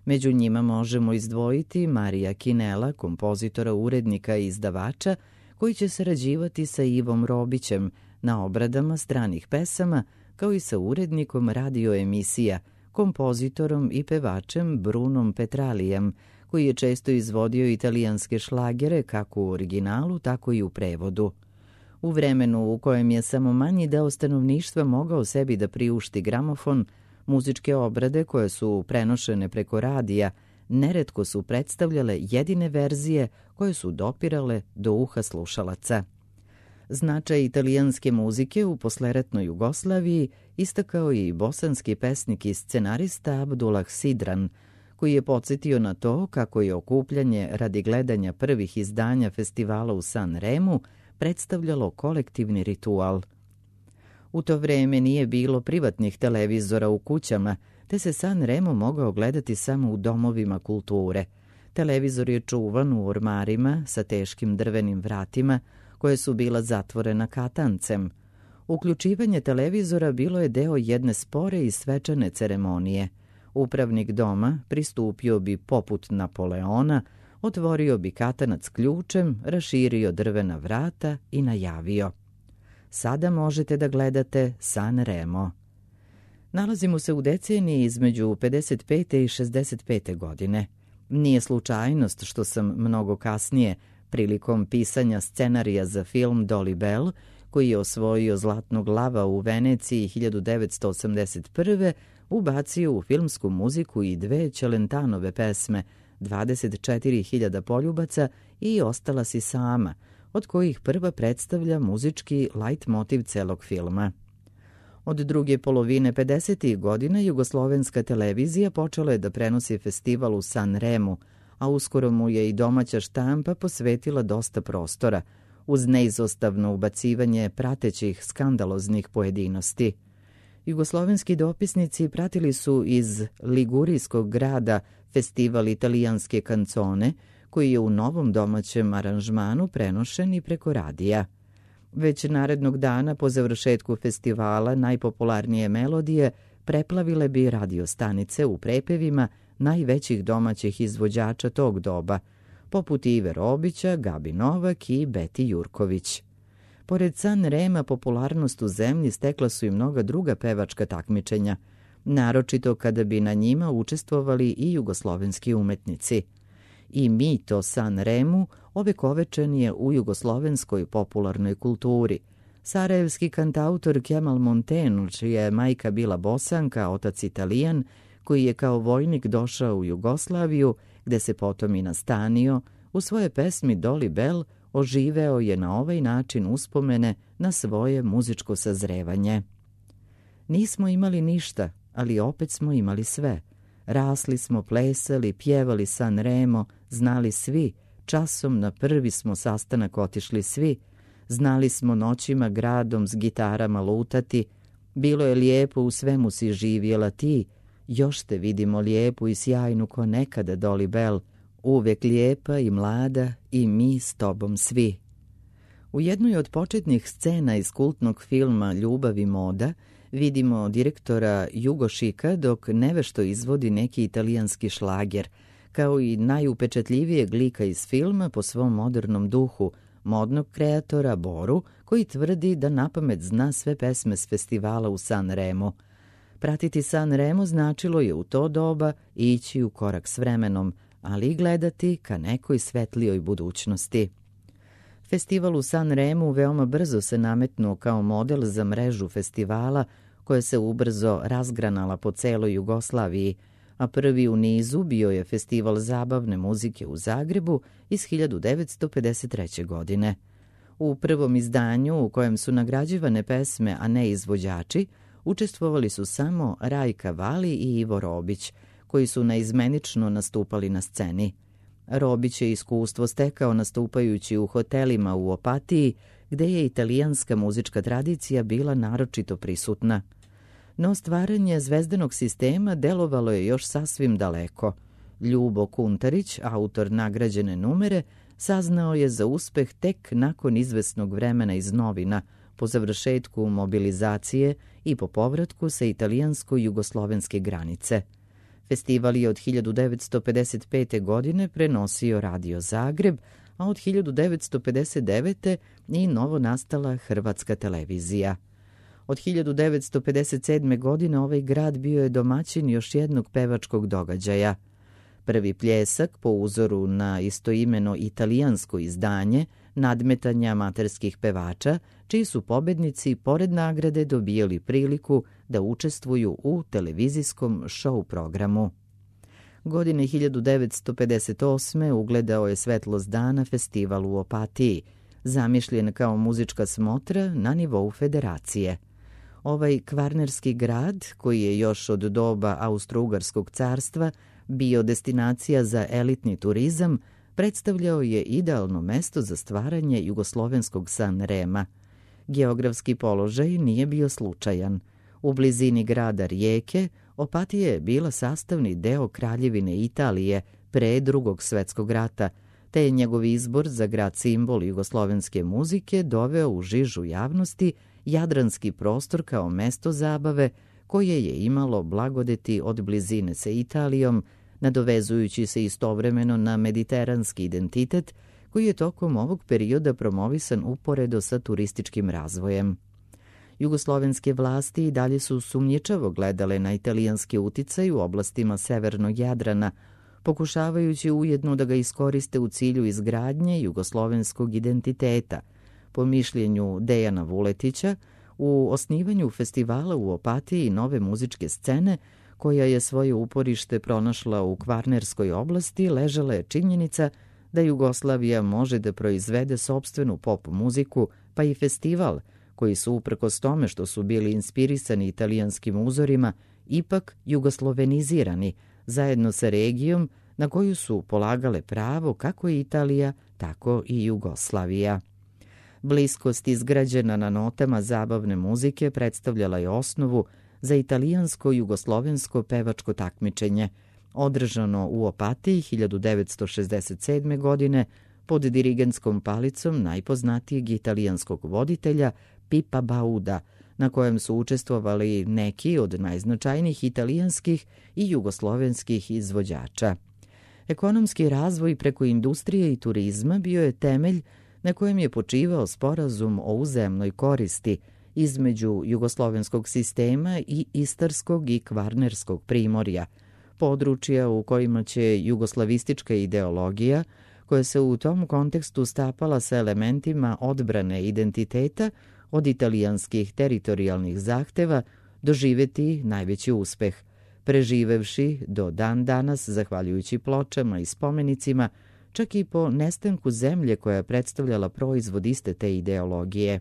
Među njima možemo izdvojiti Marija Kinela, kompozitora, urednika i izdavača, koji će sarađivati sa Ivom Robićem na obradama stranih pesama, kao i sa urednikom radioemisija, kompozitorom i pevačem Brunom Petralijem, koji je često izvodio italijanske šlagere kako u originalu, tako i u prevodu. U vremenu u kojem je samo manji deo stanovništva mogao sebi da priušti gramofon, muzičke obrade koje su prenošene preko radija neretko su predstavljale jedine verzije koje su dopirale do uha slušalaca. Značaj italijanske muzike u posleratnoj Jugoslaviji istakao je i bosanski pesnik i scenarista Abdullah Sidran, koji je podsjetio na to kako je okupljanje radi gledanja prvih izdanja festivala u San Remu predstavljalo kolektivni ritual. U to vreme nije bilo privatnih televizora u kućama, te se San Remo mogao gledati samo u domovima kulture. Televizor je čuvan u ormarima sa teškim drvenim vratima, koje su bila zatvorena katancem. Uključivanje televizora bilo je deo jedne spore i svečane ceremonije. Upravnik doma pristupio bi poput Napoleona, otvorio bi katanac ključem, raširio drvena vrata i najavio: sada možete da gledate San Remo. Nalazimo se u deceniji između 55. i 65. godine. Nije slučajnost što sam mnogo kasnije, prilikom pisanja scenarija za film Dolly Bell, koji je osvojio Zlatnog lava u Veneciji 1981. ubacio u filmsku muziku i 2 Čelentanove pesme, 24.000 poljubaca i Ostala si sama, od kojih prva predstavlja muzički lajtmotiv celog filma. Od druge polovine 50. godina jugoslovenska televizija počela je da prenosi festival u San Remu, a uskoro mu je i domaća štampa posvetila dosta prostora, uz neizostavno ubacivanje pratećih skandaloznih pojedinosti. Jugoslovenski dopisnici pratili su iz ligurijskog grada festival italijanske kancone, koji je u novom domaćem aranžmanu prenošen i preko radija. Već narednog dana po završetku festivala najpopularnije melodije preplavile bi radiostanice u prepevima najvećih domaćih izvođača tog doba, poput Ive Robića, Gabi Novak i Beti Jurković. Pored San Rema popularnost u zemlji stekla su i mnoga druga pevačka takmičenja, naročito kada bi na njima učestvovali i jugoslovenski umetnici. I mito San Remu ovekovečen je u jugoslovenskoj popularnoj kulturi. Sarajevski kantautor Kemal Montenu, čija je majka bila Bosanka, otac Italijan, koji je kao vojnik došao u Jugoslaviju, gde se potom i nastanio, u svoje pesmi Doli Bell oživeo je na ovaj način uspomene na svoje muzičko sazrevanje. Nismo imali ništa, ali opet smo imali sve. Rasli smo, plesali, pjevali San Remo, znali svi, časom na prvi smo sastanak otišli svi, znali smo noćima gradom s gitarama lutati, bilo je lijepo, u svemu si živjela ti, još te vidimo lijepu i sjajnu ko nekada Doli Bell, uvek lijepa i mlada i mi s tobom svi. U jednoj od početnih scena iz kultnog filma Ljubav i moda vidimo direktora Jugošika dok nevešto izvodi neki italijanski šlager, kao i najupečatljivijeg lika iz filma po svom modernom duhu, modnog kreatora Boru, koji tvrdi da napamet zna sve pesme s festivala u San Remu. Pratiti San Remo značilo je u to doba ići u korak s vremenom, ali i gledati ka nekoj svetlijoj budućnosti. Festival u San Remu veoma brzo se nametnuo kao model za mrežu festivala koja se ubrzo razgranala po celoj Jugoslaviji, a prvi u nizu bio je Festival zabavne muzike u Zagrebu iz 1953. godine. U prvom izdanju, u kojem su nagrađivane pesme, a ne izvođači, učestvovali su samo Rajka Vali i Ivo Robić, koji su naizmenično nastupali na sceni. Robić je iskustvo stekao nastupajući u hotelima u Opatiji, gde je italijanska muzička tradicija bila naročito prisutna. No stvaranje zvezdanog sistema delovalo je još sasvim daleko. Ljubo Kuntarić, autor nagrađene numere, saznao je za uspeh tek nakon izvesnog vremena iz novina, po završetku mobilizacije i po povratku sa italijansko-jugoslovenske granice. Festival je od 1955. godine prenosio Radio Zagreb, a od 1959. i novo nastala Hrvatska televizija. Od 1957. godine ovaj grad bio je domaćin još jednog pevačkog događaja. Prvi pljesak po uzoru na istoimeno italijansko izdanje nadmetanja amaterskih pevača, čiji su pobednici pored nagrade dobijali priliku da učestvuju u televizijskom show programu. Godine 1958. ugledao je svetlost dana festival u Opatiji, zamišljen kao muzička smotra na nivou federacije. Ovaj kvarnerski grad, koji je još od doba Austro-Ugarskog carstva bio destinacija za elitni turizam, predstavljao je idealno mesto za stvaranje jugoslovenskog San Rema. Geografski položaj nije bio slučajan. U blizini grada Rijeke, Opatija je bila sastavni deo Kraljevine Italije pre Drugog svetskog rata, te je njegov izbor za grad simbol jugoslovenske muzike doveo u žižu javnosti jadranski prostor kao mesto zabave koje je imalo blagodeti od blizine sa Italijom, nadovezujući se istovremeno na mediteranski identitet koji je tokom ovog perioda promovisan uporedo sa turističkim razvojem. Jugoslovenske vlasti i dalje su sumnjičavo gledale na italijanski uticaj u oblastima severnog Jadrana, pokušavajući ujedno da ga iskoriste u cilju izgradnje jugoslovenskog identiteta. Po mišljenju Dejana Vuletića, u osnivanju festivala u Opatiji nove muzičke scene, koja je svoje uporište pronašla u Kvarnerskoj oblasti, ležala je činjenica da Jugoslavija može da proizvede sopstvenu pop muziku, pa i festival, koji su uprkos tome što su bili inspirisani italijanskim uzorima, ipak jugoslovenizirani, zajedno sa regijom na koju su polagale pravo kako i Italija, tako i Jugoslavija. Bliskost izgrađena na notama zabavne muzike predstavljala je osnovu za italijansko-jugoslovensko pevačko takmičenje, održano u Opatiji 1967. godine pod dirigentskom palicom najpoznatijeg italijanskog voditelja Pipa Bauda, na kojem su učestvovali neki od najznačajnijih italijanskih i jugoslovenskih izvođača. Ekonomski razvoj preko industrije i turizma bio je temelj na kojem je počivao sporazum o uzajamnoj koristi između jugoslovenskog sistema i istarskog i kvarnerskog primorja, područja u kojima će jugoslavistička ideologija, koja se u tom kontekstu stapala sa elementima odbrane identiteta od italijanskih teritorijalnih zahteva, doživeti najveći uspeh. preživevši do dan danas, zahvaljujući pločama i spomenicima, čak i po nestanku zemlje koja je predstavljala proizvod iste te ideologije.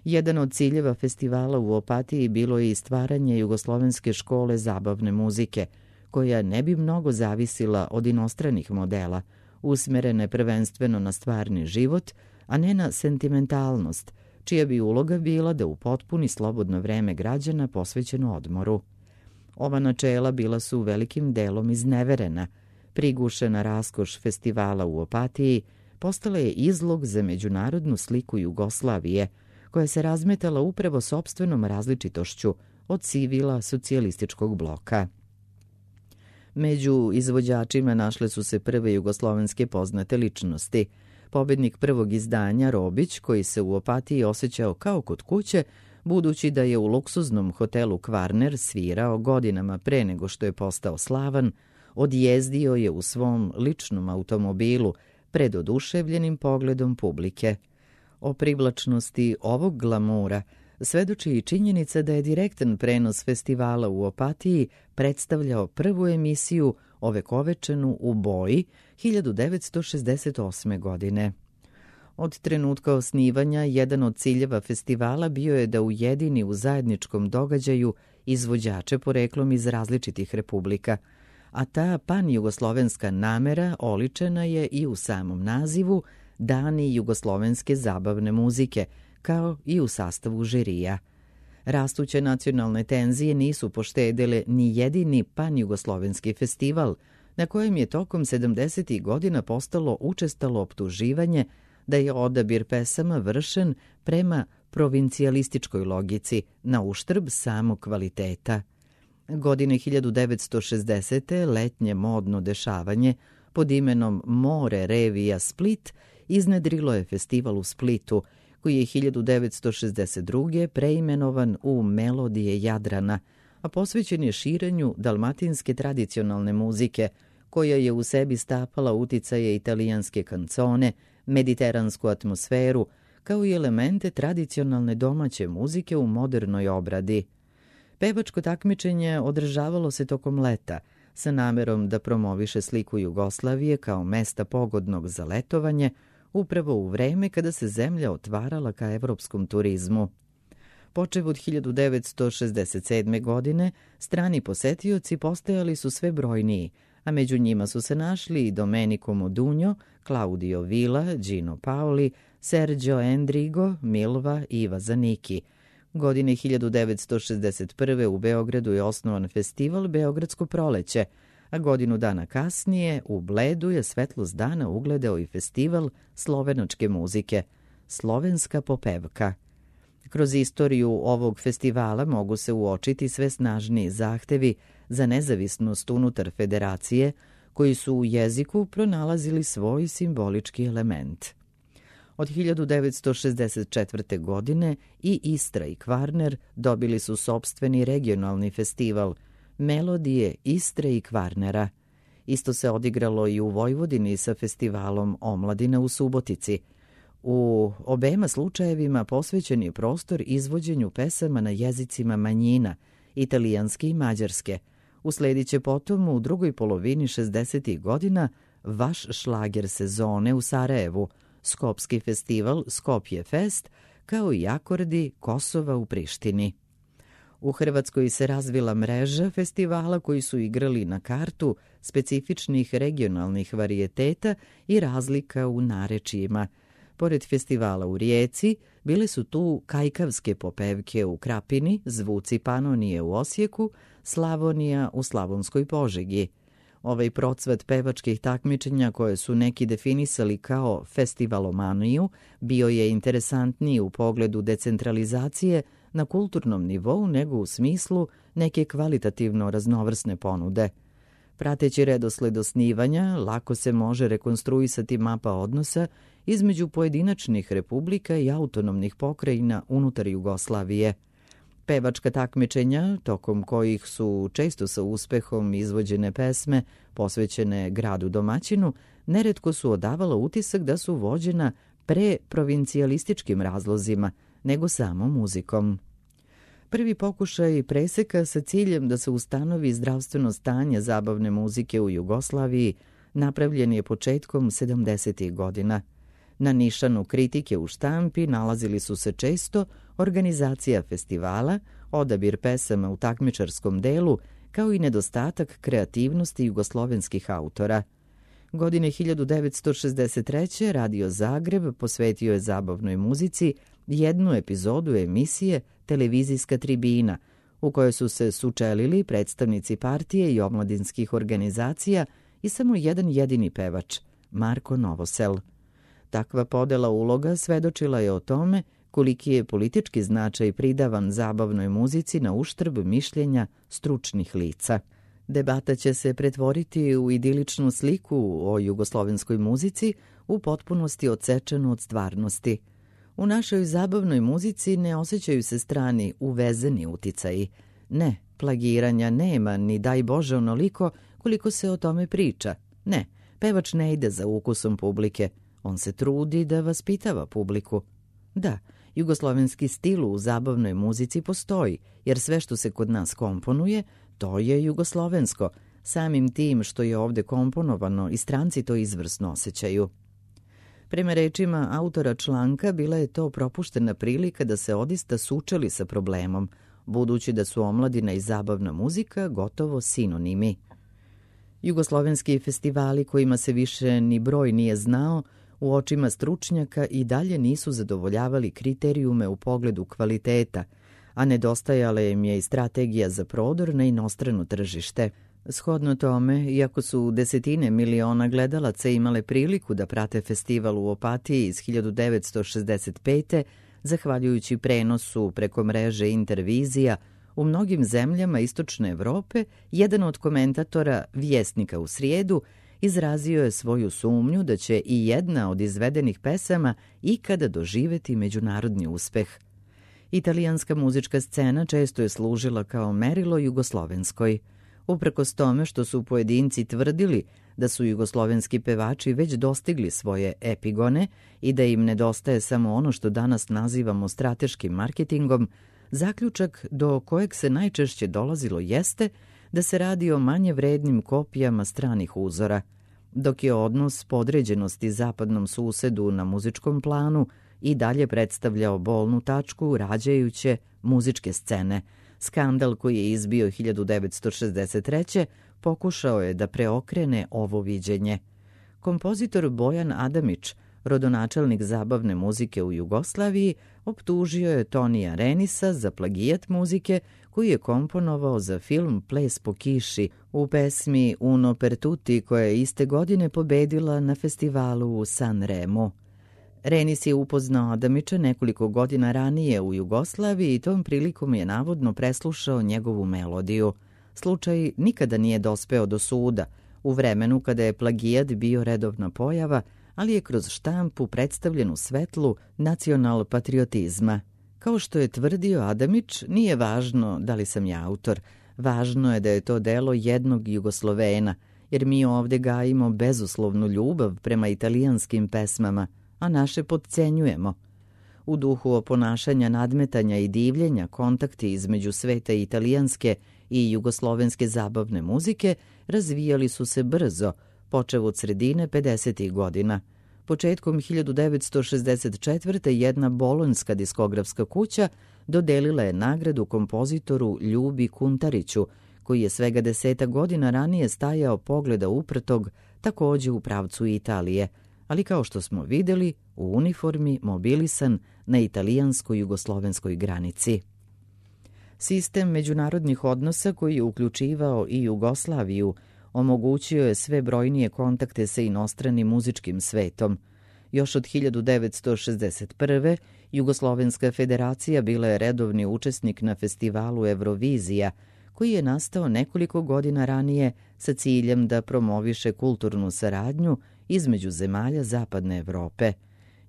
Jedan od ciljeva festivala u Opatiji bilo je i stvaranje jugoslovenske škole zabavne muzike, koja ne bi mnogo zavisila od inostranih modela, usmerene prvenstveno na stvarni život, a ne na sentimentalnost, čija bi uloga bila da upotpuni slobodno vreme građana posvećeno odmoru. Ova načela bila su velikim delom izneverena. Prigušena raskoš festivala u Opatiji postala je izlog za međunarodnu sliku Jugoslavije, koja se razmetala upravo sopstvenom različitošću od civila socijalističkog bloka. Među izvođačima našle su se prve jugoslovenske poznate ličnosti. Pobednik prvog izdanja Robić, koji se u Opatiji osjećao kao kod kuće, budući da je u luksuznom hotelu Kvarner svirao godinama pre nego što je postao slavan, odjezdio je u svom ličnom automobilu pred oduševljenim pogledom publike. O privlačnosti ovog glamura svedoči i činjenica da je direktan prenos festivala u Opatiji predstavljao prvu emisiju ovekovečenu u boji 1968. godine. Od trenutka osnivanja, jedan od ciljeva festivala bio je da ujedini u zajedničkom događaju izvođače poreklom iz različitih republika, a ta pan-jugoslovenska namera oličena je i u samom nazivu Dani jugoslovenske zabavne muzike, kao i u sastavu žirija. Rastuće nacionalne tenzije nisu poštedele ni jedini pan-jugoslovenski festival, na kojem je tokom 70. godina postalo učestalo optuživanje da je odabir pesama vršen prema provincijalističkoj logici, na uštrb samog kvaliteta. Godine 1960. letnje modno dešavanje pod imenom More Revija Split iznedrilo je festival u Splitu, koji je 1962. preimenovan u Melodije Jadrana, a posvećen je širenju dalmatinske tradicionalne muzike, koja je u sebi stapala uticaje italijanske kancone, mediteransku atmosferu, kao i elemente tradicionalne domaće muzike u modernoj obradi. Pevačko takmičenje održavalo se tokom leta, sa namerom da promoviše sliku Jugoslavije kao mesta pogodnog za letovanje, upravo u vreme kada se zemlja otvarala ka evropskom turizmu. Počev od 1967. godine, strani posetioci postajali su sve brojniji, a među njima su se našli i Domenico Modugno, Claudio Villa, Gino Paoli, Sergio Endrigo, Milva i Iva Zanicki. Godine 1961. u Beogradu je osnovan festival Beogradsko proleće, a godinu dana kasnije u Bledu je svetlost dana ugledao i festival slovenačke muzike, Slovenska popevka. Kroz istoriju ovog festivala mogu se uočiti sve snažniji zahtevi za nezavisnost unutar federacije, koji su u jeziku pronalazili svoj simbolički element. Od 1964. godine i Istra i Kvarner dobili su sopstveni regionalni festival Melodije Istre i Kvarnera. Isto se odigralo i u Vojvodini sa festivalom Omladina u Subotici. U obema slučajevima posvećen je prostor izvođenju pesama na jezicima manjina, italijanske i mađarske. Usledit će potom u drugoj polovini 60. godina vaš šlager sezone u Sarajevu, Skopski festival Skopje Fest, kao i akordi Kosova u Prištini. U Hrvatskoj se razvila mreža festivala koji su igrali na kartu specifičnih regionalnih varijeteta i razlika u narečjima. Pored festivala u Rijeci, bile su tu kajkavske popevke u Krapini, Zvuci Panonije u Osijeku, Slavonija u Slavonskoj Požegi. Ovaj procvat pevačkih takmičenja koje su neki definisali kao festivalomaniju bio je interesantniji u pogledu decentralizacije na kulturnom nivou nego u smislu neke kvalitativno raznovrsne ponude. Prateći redosled osnivanja, lako se može rekonstruisati mapa odnosa između pojedinačnih republika i autonomnih pokrajina unutar Jugoslavije. Pevačka takmičenja, tokom kojih su često sa uspehom izvođene pesme posvećene gradu domaćinu, neretko su odavala utisak da su vođena pre provincijalističkim razlozima nego samo muzikom. Prvi pokušaj preseka sa ciljem da se ustanovi zdravstveno stanje zabavne muzike u Jugoslaviji napravljen je početkom 70. godina. Na nišanu kritike u štampi nalazili su se često organizacija festivala, odabir pesama u takmičarskom delu, kao i nedostatak kreativnosti jugoslovenskih autora. Godine 1963. Radio Zagreb posvetio je zabavnoj muzici jednu epizodu emisije Televizijska tribina, u kojoj su se sučelili predstavnici partije i omladinskih organizacija i samo jedan jedini pevač, Marko Novosel. Takva podela uloga svedočila je o tome koliki je politički značaj pridavan zabavnoj muzici na uštrb mišljenja stručnih lica. Debata će se pretvoriti u idiličnu sliku o jugoslovenskoj muzici u potpunosti odsečenu od stvarnosti. U našoj zabavnoj muzici ne osjećaju se strani uvezeni uticaji. Ne, plagiranja nema, ni daj Bože onoliko koliko se o tome priča. Ne, pevač ne ide za ukusom publike. On se trudi da vaspitava publiku. Da, jugoslovenski stil u zabavnoj muzici postoji, jer sve što se kod nas komponuje, to je jugoslovensko. Samim tim što je ovde komponovano i stranci to izvrsno osjećaju. Prema rečima autora članka, bila je to propuštena prilika da se odista sučeli sa problemom, budući da su omladina i zabavna muzika gotovo sinonimi. Jugoslovenski festivali kojima se više ni broj nije znao, u očima stručnjaka i dalje nisu zadovoljavali kriterijume u pogledu kvaliteta, a nedostajala im je i strategija za prodor na inostrano tržište. Shodno tome, iako su desetine miliona gledalaca imale priliku da prate festival u Opatiji iz 1965. zahvaljujući prenosu preko mreže Intervizija, u mnogim zemljama Istočne Evrope, jedan od komentatora Vjesnika u srijedu izrazio je svoju sumnju da će i jedna od izvedenih pesama ikada doživeti međunarodni uspeh. Italijanska muzička scena često je služila kao merilo jugoslovenskoj. Uprkos tome što su pojedinci tvrdili da su jugoslovenski pevači već dostigli svoje epigone i da im nedostaje samo ono što danas nazivamo strateškim marketingom, zaključak do kojeg se najčešće dolazilo jeste da se radi o manje vrednim kopijama stranih uzora, dok je odnos podređenosti zapadnom susedu na muzičkom planu i dalje predstavljao bolnu tačku rađajuće muzičke scene. Skandal koji je izbio 1963. pokušao je da preokrene ovo viđenje. Kompozitor Bojan Adamić, rodonačelnik zabavne muzike u Jugoslaviji, optužio je Tonija Renisa za plagijat muzike koji je komponovao za film Ples po kiši u pesmi Uno per tutti koja je iste godine pobedila na festivalu u Sanremu. Renis je upoznao Adamića nekoliko godina ranije u Jugoslaviji i tom prilikom je navodno preslušao njegovu melodiju. Slučaj nikada nije dospeo do suda, u vremenu kada je plagijat bio redovna pojava, ali je kroz štampu predstavljen u svetlu nacional-patriotizma. Kao što je tvrdio Adamić, nije važno da li sam ja autor, važno je da je to delo jednog Jugoslovena, jer mi ovde gajimo bezuslovnu ljubav prema italijanskim pesmama, a naše potcenjujemo. U duhu oponašanja, nadmetanja i divljenja, kontakti između sveta italijanske i jugoslovenske zabavne muzike razvijali su se brzo, počev od sredine 50. godina. Početkom 1964. jedna bolonjska diskografska kuća dodelila je nagradu kompozitoru Ljubi Kuntariću, koji je svega 10 godina ranije stajao pogleda uprtog takođe u pravcu Italije, ali kao što smo videli, u uniformi mobilisan na italijansko-jugoslovenskoj granici. Sistem međunarodnih odnosa koji je uključivao i Jugoslaviju omogućio je sve brojnije kontakte sa inostranim muzičkim svetom. Još od 1961. Jugoslovenska federacija bila je redovni učesnik na festivalu Eurovizija, koji je nastao nekoliko godina ranije sa ciljem da promoviše kulturnu saradnju između zemalja Zapadne Evrope.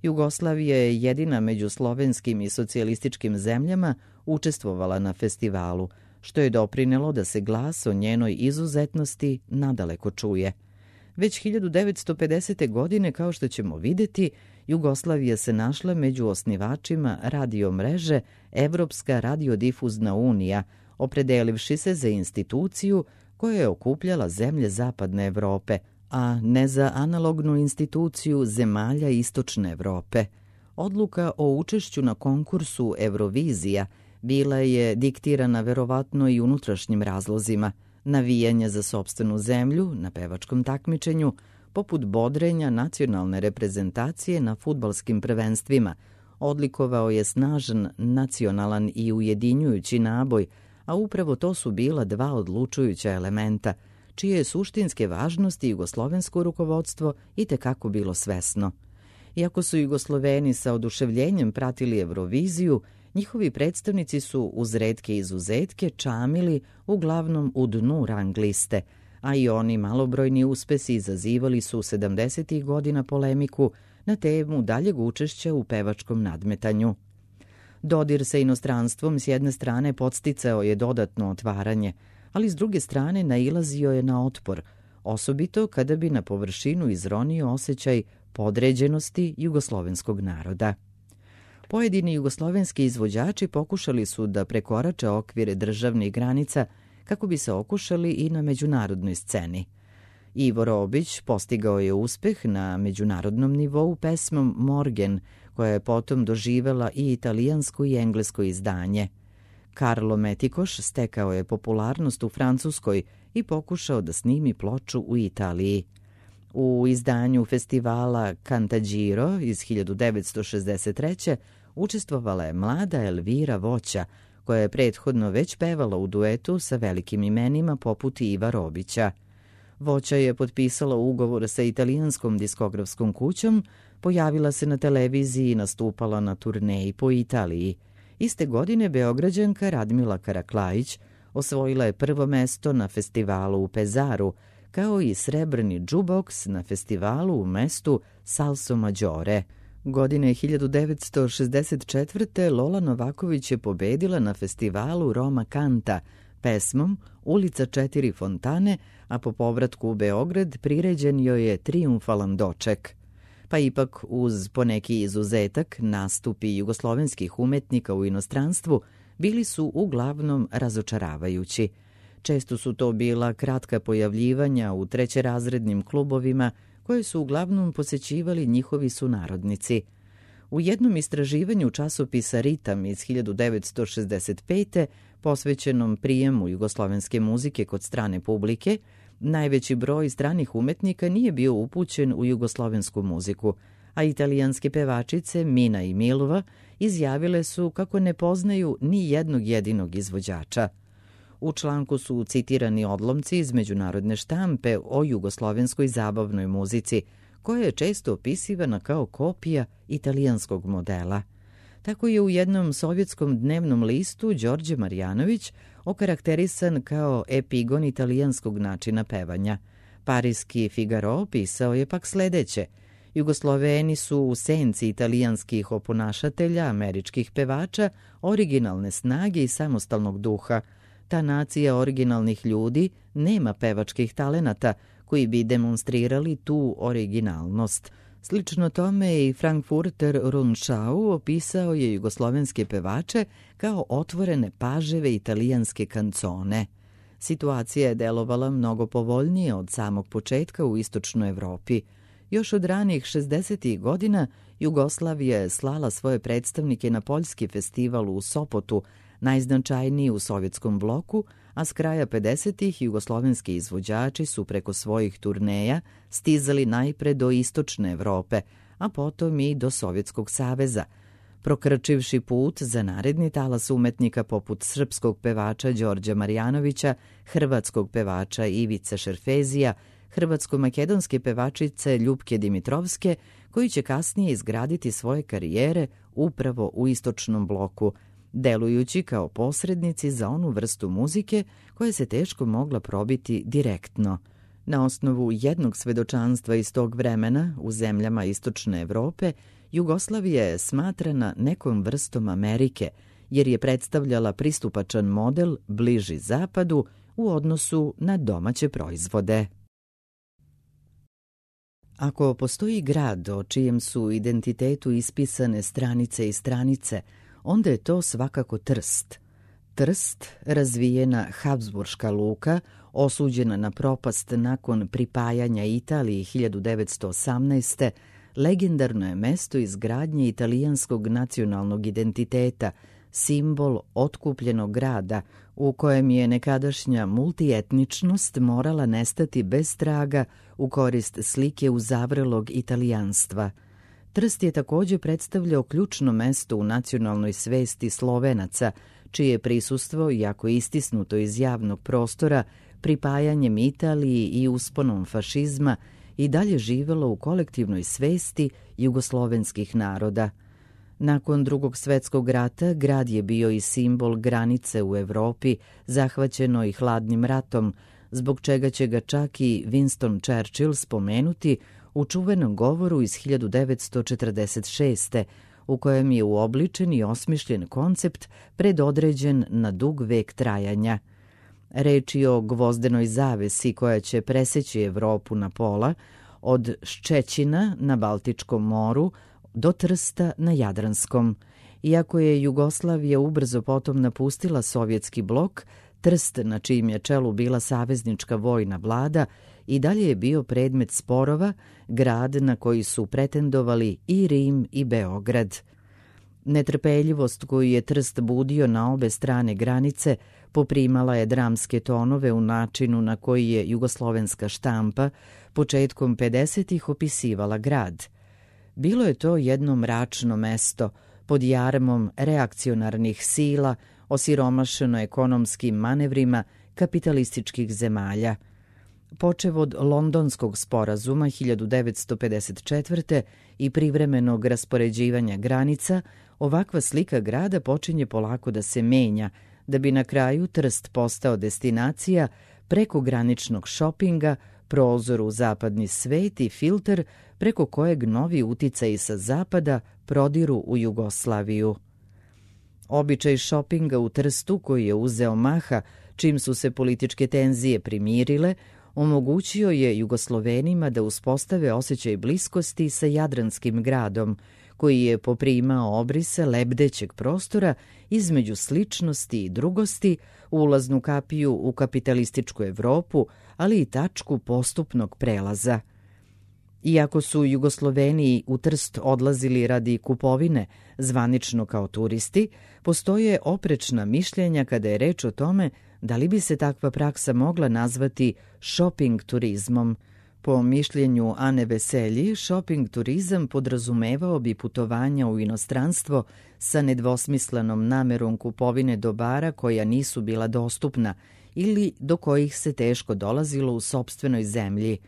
Jugoslavija je jedina među slovenskim i socijalističkim zemljama učestvovala na festivalu, što je doprinelo da se glas o njenoj izuzetnosti nadaleko čuje. Već 1950. godine, kao što ćemo vidjeti, Jugoslavija se našla među osnivačima radiomreže Evropska radiodifuzna unija, opredelivši se za instituciju koja je okupljala zemlje Zapadne Evrope, a ne za analognu instituciju zemalja Istočne Evrope. Odluka o učešću na konkursu Eurovizija bila je diktirana verovatno i unutrašnjim razlozima, navijanja za sopstvenu zemlju na pevačkom takmičenju, poput bodrenja nacionalne reprezentacije na fudbalskim prvenstvima. Odlikovao je snažan, nacionalan i ujedinjujući naboj, a upravo to su bila dva odlučujuća elementa, čije je suštinske važnosti jugoslovensko rukovodstvo itekako bilo svesno. Iako su Jugosloveni sa oduševljenjem pratili Euroviziju, njihovi predstavnici su uz retke izuzetke čamili uglavnom u dnu rang liste, a i oni malobrojni uspesi izazivali su 70. godina polemiku na temu daljeg učešća u pevačkom nadmetanju. Dodir sa inostranstvom s jedne strane podsticao je dodatno otvaranje, ali s druge strane nailazio je na otpor, osobito kada bi na površinu izronio osjećaj podređenosti jugoslovenskog naroda. Pojedini jugoslovenski izvođači pokušali su da prekorače okvire državnih granica kako bi se okušali i na međunarodnoj sceni. Ivo Robić postigao je uspeh na međunarodnom nivou pesmom Morgen, koja je potom doživela i italijansko i englesko izdanje. Karlo Metikoš stekao je popularnost u Francuskoj i pokušao da snimi ploču u Italiji. U izdanju festivala Cantagiro iz 1963. učestvovala je mlada Elvira Voća, koja je prethodno već pevala u duetu sa velikim imenima poput Iva Robića. Voća je potpisala ugovor sa italijanskom diskografskom kućom, pojavila se na televiziji i nastupala na turneji po Italiji. Iste godine Beograđanka Radmila Karaklajić osvojila je prvo mesto na festivalu u Pezaru, kao i srebrni džuboks na festivalu u mestu Salso Maggiore. Godine 1964. Lola Novaković je pobedila na festivalu Roma Canta pesmom Ulica 4 fontane, a po povratku u Beograd priređen joj je triumfalan doček. Pa ipak uz poneki izuzetak nastupi jugoslovenskih umetnika u inostranstvu bili su uglavnom razočaravajući. Često su to bila kratka pojavljivanja u trećerazrednim klubovima koje su uglavnom posećivali njihovi sunarodnici. U jednom istraživanju časopisa Ritam iz 1965. posvećenom prijemu jugoslovenske muzike kod strane publike, najveći broj stranih umetnika nije bio upućen u jugoslovensku muziku, a italijanske pevačice Mina i Milova izjavile su kako ne poznaju ni jednog jedinog izvođača. U članku su citirani odlomci iz međunarodne štampe o jugoslovenskoj zabavnoj muzici, koja je često opisivana kao kopija italijanskog modela. Tako je u jednom sovjetskom dnevnom listu Đorđe Marjanović okarakterisan kao epigon italijanskog načina pevanja. Parijski Figaro pisao je pak sledeće: Jugosloveni su u senci italijanskih oponašatelja, američkih pevača, originalne snage i samostalnog duha. Ta nacija originalnih ljudi nema pevačkih talenata koji bi demonstrirali tu originalnost. Slično tome i Frankfurter Rundschau opisao je jugoslovenske pevače kao otvorene paževe italijanske kancone. Situacija je delovala mnogo povoljnije od samog početka u istočnoj Evropi. Još od ranih 60. godina Jugoslavija je slala svoje predstavnike na poljski festival u Sopotu, najznačajniji u sovjetskom bloku, a s kraja 50. jugoslovenski izvođači su preko svojih turneja stizali najpre do istočne Evrope, a potom i do Sovjetskog saveza, prokrčivši put za naredni talas umetnika poput srpskog pevača Đorđa Marjanovića, hrvatskog pevača Ivice Šerfezija, hrvatsko-makedonske pevačice Ljupke Dimitrovske, koji će kasnije izgraditi svoje karijere upravo u istočnom bloku, delujući kao posrednici za onu vrstu muzike koja se teško mogla probiti direktno. Na osnovu jednog svedočanstva iz tog vremena u zemljama istočne Evrope, Jugoslavija je smatrana nekom vrstom Amerike, jer je predstavljala pristupačan model bliži zapadu u odnosu na domaće proizvode. Ako postoji grad o čijem su identitetu ispisane stranice i stranice, onda je to svakako Trst. Trst, razvijena habsburška luka, osuđena na propast nakon pripajanja Italiji 1918. legendarno je mesto izgradnje italijanskog nacionalnog identiteta, simbol otkupljenog grada u kojem je nekadašnja multietničnost morala nestati bez traga u korist slike uzavrelog italijanstva. Trst je također predstavljao ključno mesto u nacionalnoj svesti Slovenaca, čije prisustvo, iako istisnuto iz javnog prostora, pripajanjem Italiji i usponom fašizma, i dalje živelo u kolektivnoj svesti jugoslovenskih naroda. Nakon Drugog svjetskog rata grad je bio i simbol granice u Evropi, zahvaćenoj hladnim ratom, zbog čega će ga čak i Winston Churchill spomenuti u čuvenom govoru iz 1946. u kojem je uobličen i osmišljen koncept predodređen na dug vek trajanja. Reč je o gvozdenoj zavesi koja će preseći Evropu na pola, od Ščećina na Baltičkom moru do Trsta na Jadranskom. Iako je Jugoslavija ubrzo potom napustila sovjetski blok, Trst, na čijim je čelu bila saveznička vojna vlada, i dalje je bio predmet sporova, grad na koji su pretendovali i Rim i Beograd. Netrpeljivost koju je Trst budio na obe strane granice poprimala je dramske tonove u načinu na koji je jugoslovenska štampa početkom 50-ih opisivala grad. Bilo je to jedno mračno mesto, pod jarmom reakcionarnih sila, osiromašeno ekonomskim manevrima kapitalističkih zemalja. Počev od Londonskog sporazuma 1954. i privremenog raspoređivanja granica, ovakva slika grada počinje polako da se menja, da bi na kraju Trst postao destinacija prekograničnog šopinga, prozor u zapadni svet i filter preko kojeg novi uticaji sa zapada prodiru u Jugoslaviju. Običaj šopinga u Trstu, koji je uzeo maha čim su se političke tenzije primirile, omogućio je Jugoslovenima da uspostave osjećaj bliskosti sa jadranskim gradom, koji je poprimao obrise lebdećeg prostora između sličnosti i drugosti, ulaznu kapiju u kapitalističku Evropu, ali i tačku postupnog prelaza. Iako su Jugosloveni u Trst odlazili radi kupovine, zvanično kao turisti, postoje oprečna mišljenja kada je reč o tome da li bi se takva praksa mogla nazvati shopping turizmom. Po mišljenju Ane Veselji, shopping turizam podrazumevao bi putovanja u inostranstvo sa nedvosmislenom namerom kupovine dobara koja nisu bila dostupna ili do kojih se teško dolazilo u sopstvenoj zemlji.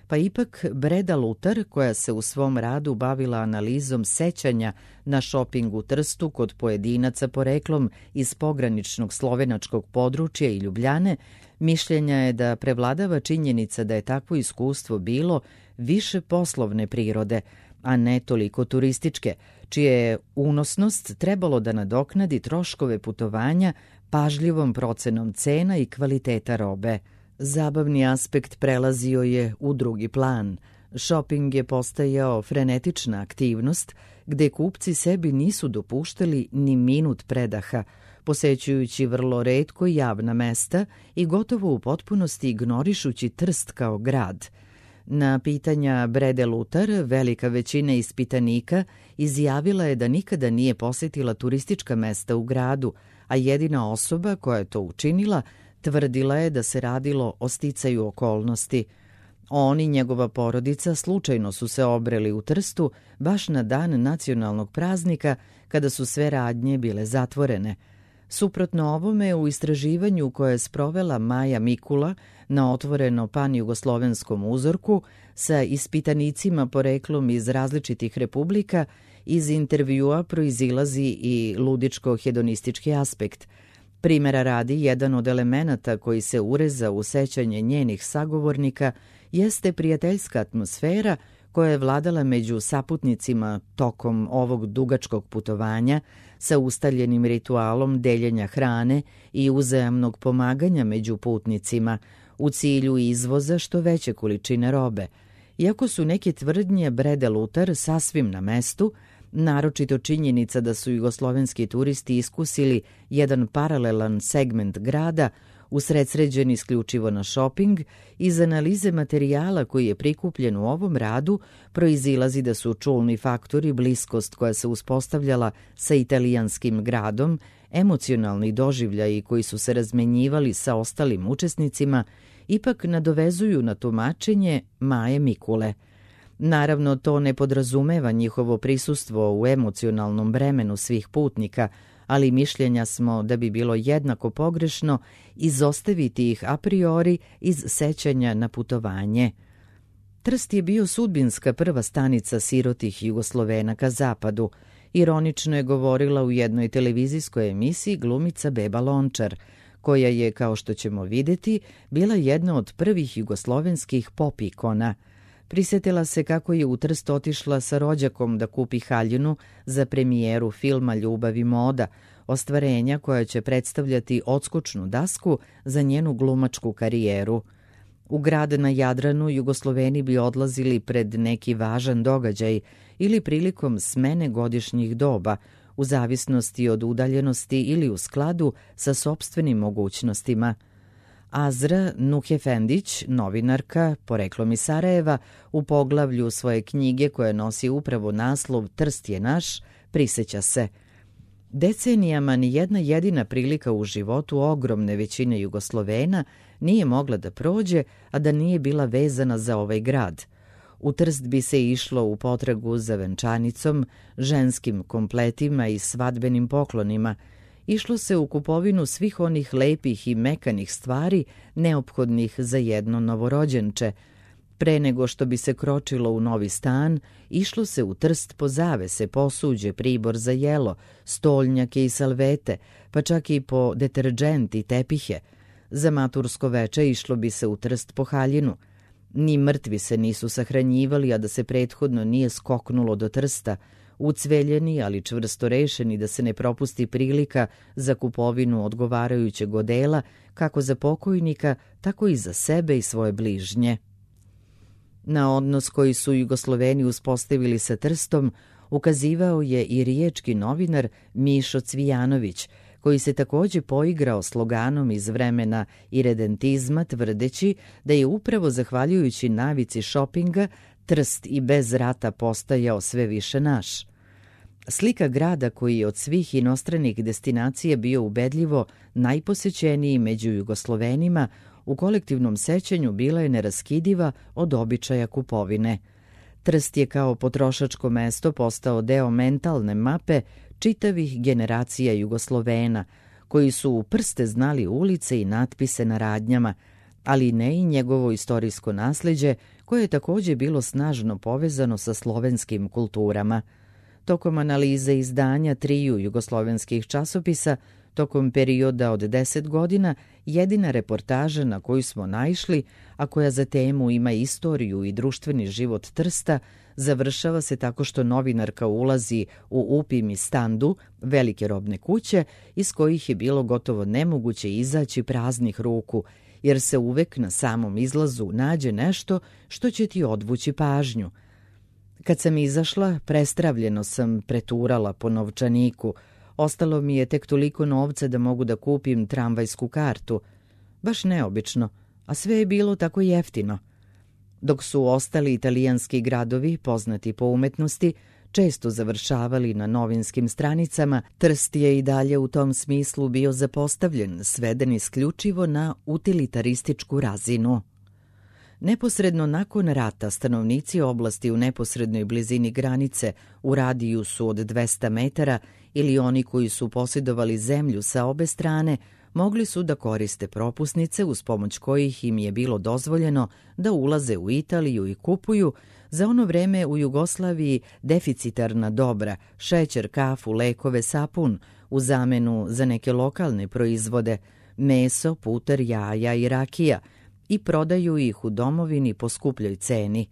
Pa ipak Breda Lutar, koja se u svom radu bavila analizom sećanja na šoping u Trstu kod pojedinaca poreklom iz pograničnog slovenačkog područja i Ljubljane, mišljenja je da prevladava činjenica da je takvo iskustvo bilo više poslovne prirode, a ne toliko turističke, čije je unosnost trebalo da nadoknadi troškove putovanja pažljivom procenom cena i kvaliteta robe. Zabavni aspekt prelazio je u drugi plan. Šoping je postajao frenetična aktivnost gde kupci sebi nisu dopuštali ni minut predaha, posećujući vrlo retko javna mesta i gotovo u potpunosti ignorišući Trst kao grad. Na pitanja Brede Lutar, velika većina ispitanika izjavila je da nikada nije posjetila turistička mesta u gradu, a jedina osoba koja je to učinila tvrdila je da se radilo o sticaju okolnosti. On i njegova porodica slučajno su se obreli u Trstu baš na dan nacionalnog praznika kada su sve radnje bile zatvorene. Suprotno ovome, u istraživanju koje je sprovela Maja Mikula na otvoreno pan-jugoslovenskom uzorku sa ispitanicima poreklom iz različitih republika, iz intervjua proizilazi i ludičko-hedonistički aspekt. Primjera radi, jedan od elemenata koji se ureza u sećanje njenih sagovornika jeste prijateljska atmosfera koja je vladala među saputnicima tokom ovog dugačkog putovanja sa ustaljenim ritualom deljenja hrane i uzajamnog pomaganja među putnicima u cilju izvoza što veće količine robe. Iako su neke tvrdnje Brede Lutar sasvim na mestu, naročito činjenica da su jugoslovenski turisti iskusili jedan paralelan segment grada, usredsređen isključivo na šoping, iz analize materijala koji je prikupljen u ovom radu proizilazi da su čulni faktori bliskost koja se uspostavljala sa italijanskim gradom, emocionalni doživljaji koji su se razmenjivali sa ostalim učesnicima, ipak nadovezuju na tumačenje Maje Mikule. Naravno, to ne podrazumeva njihovo prisustvo u emocionalnom bremenu svih putnika, ali mišljenja smo da bi bilo jednako pogrešno izostaviti ih a priori iz sećanja na putovanje. Trst je bio sudbinska prva stanica sirotih Jugoslovena ka zapadu. Ironično je govorila u jednoj televizijskoj emisiji glumica Beba Lončar, koja je, kao što ćemo vidjeti, bila jedna od prvih jugoslovenskih pop ikona. Prisjetila se kako je u Trst otišla sa rođakom da kupi haljinu za premijeru filma Ljubav i moda, ostvarenja koja će predstavljati odskočnu dasku za njenu glumačku karijeru. U grad na Jadranu Jugosloveni bi odlazili pred neki važan događaj ili prilikom smene godišnjih doba, u zavisnosti od udaljenosti ili u skladu sa sopstvenim mogućnostima. Azra Nuhefendić, novinarka, poreklom iz Sarajeva, u poglavlju svoje knjige koja nosi upravo naslov Trst je naš, prisjeća se: decenijama ni jedna jedina prilika u životu ogromne većine Jugoslovena nije mogla da prođe, a da nije bila vezana za ovaj grad. U Trst bi se išlo u potragu za venčanicom, ženskim kompletima i svadbenim poklonima. Išlo se u kupovinu svih onih lepih i mekanih stvari neophodnih za jedno novorođenče. Pre nego što bi se kročilo u novi stan, išlo se u Trst po zavese, posuđe, pribor za jelo, stolnjake i salvete, pa čak i po deterdžent i tepihe. Za matursko veče išlo bi se u Trst po haljinu. Ni mrtvi se nisu sahranjivali, a da se prethodno nije skoknulo do Trsta, ucveljeni, ali čvrsto rešeni da se ne propusti prilika za kupovinu odgovarajućeg odela, kako za pokojnika, tako i za sebe i svoje bližnje. Na odnos koji su Jugosloveni uspostavili sa Trstom ukazivao je i riječki novinar Mišo Cvijanović, koji se također poigrao sloganom iz vremena iredentizma, tvrdeći da je upravo zahvaljujući navici šopinga Trst i bez rata postajao sve više naš. Slika grada koji je od svih inostranih destinacija bio ubedljivo najposećeniji među Jugoslovenima u kolektivnom sećanju bila je neraskidiva od običaja kupovine. Trst je kao potrošačko mesto postao deo mentalne mape čitavih generacija Jugoslovena, koji su u prste znali ulice i natpise na radnjama, ali ne i njegovo istorijsko nasleđe, koje je također bilo snažno povezano sa slovenskim kulturama. Tokom analize izdanja 3 jugoslovenskih časopisa, tokom perioda od 10 godina, jedina reportaža na koju smo naišli, a koja za temu ima istoriju i društveni život Trsta, završava se tako što novinarka ulazi u Upim i Standu, velike robne kuće, iz kojih je bilo gotovo nemoguće izaći praznih ruku, jer se uvek na samom izlazu nađe nešto što će ti odvući pažnju. Kad sam izašla, prestravljeno sam preturala po novčaniku. Ostalo mi je tek toliko novca da mogu da kupim tramvajsku kartu. Baš neobično, a sve je bilo tako jeftino. Dok su ostali italijanski gradovi, poznati po umetnosti, često završavali na novinskim stranicama, Trst je i dalje u tom smislu bio zapostavljen, sveden isključivo na utilitarističku razinu. Neposredno nakon rata stanovnici oblasti u neposrednoj blizini granice u radijusu od 200 metara ili oni koji su posjedovali zemlju sa obe strane mogli su da koriste propusnice uz pomoć kojih im je bilo dozvoljeno da ulaze u Italiju i kupuju za ono vreme u Jugoslaviji deficitarna dobra, šećer, kafu, lekove, sapun, u zamenu za neke lokalne proizvode, meso, puter, jaja i rakija, i prodaju ih u domovini po skupljoj ceni.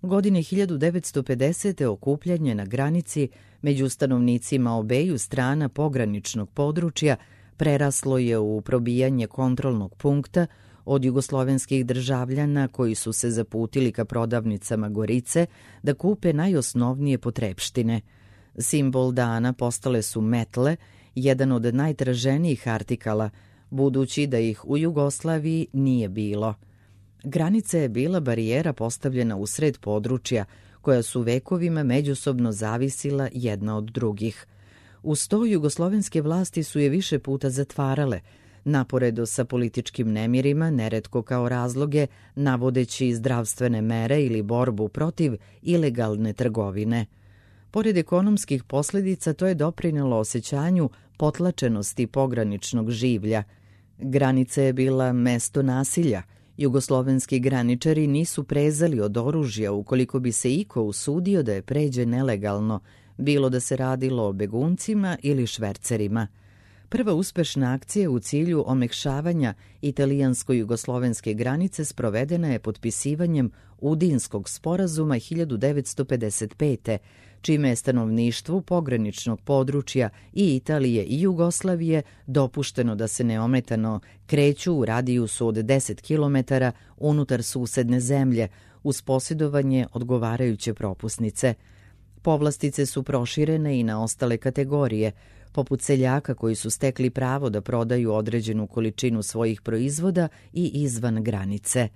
Godine 1950. okupljanje na granici među stanovnicima obeju strana pograničnog područja preraslo je u probijanje kontrolnog punkta od jugoslovenskih državljana koji su se zaputili ka prodavnicama Gorice da kupe najosnovnije potrepštine. Simbol dana postale su metle, jedan od najtraženijih artikala, budući da ih u Jugoslaviji nije bilo. Granica je bila barijera postavljena u sred područja, koja su vekovima međusobno zavisila jedna od drugih. Uz to jugoslovenske vlasti su je više puta zatvarale, naporedo sa političkim nemirima, neretko kao razloge, navodeći zdravstvene mere ili borbu protiv ilegalne trgovine. Pored ekonomskih posljedica, to je doprinelo osjećanju potlačenosti pograničnog življa. Granica je bila mesto nasilja. Jugoslovenski graničari nisu prezali od oružja ukoliko bi se iko usudio da je pređe nelegalno, bilo da se radilo o beguncima ili švercerima. Prva uspešna akcija u cilju omekšavanja italijansko-jugoslovenske granice sprovedena je potpisivanjem Udinskog sporazuma 1955. čime je stanovništvu pograničnog područja i Italije i Jugoslavije dopušteno da se neometano kreću u radijusu od 10 km unutar susedne zemlje uz posjedovanje odgovarajuće propusnice. Povlastice su proširene i na ostale kategorije, poput seljaka koji su stekli pravo da prodaju određenu količinu svojih proizvoda i izvan granice.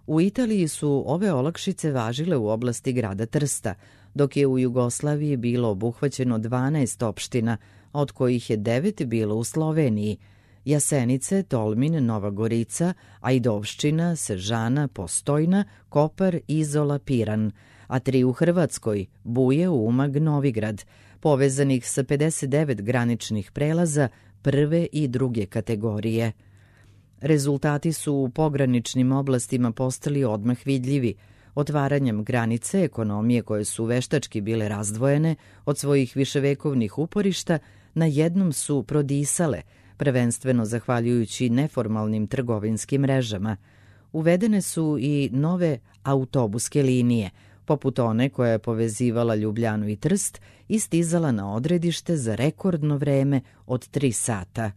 U Italiji su ove olakšice važile u oblasti grada Trsta, dok je u Jugoslaviji bilo obuhvaćeno 12 opština, od kojih je 9 bilo u Sloveniji: Jasenice, Tolmin, Nova Gorica, Ajdovščina, Sežana, Postojna, Kopar, Izola, Piran, a 3 u Hrvatskoj: Buje, Umag, Novigrad, povezanih sa 59 graničnih prelaza prve i druge kategorije. Rezultati su u pograničnim oblastima postali odmah vidljivi. Otvaranjem granice, ekonomije koje su veštački bile razdvojene od svojih viševekovnih uporišta, na jednom su prodisale, prvenstveno zahvaljujući neformalnim trgovinskim mrežama. Uvedene su i nove autobuske linije, poput one koja je povezivala Ljubljanu i Trst i stizala na odredište za rekordno vreme od 3 sata.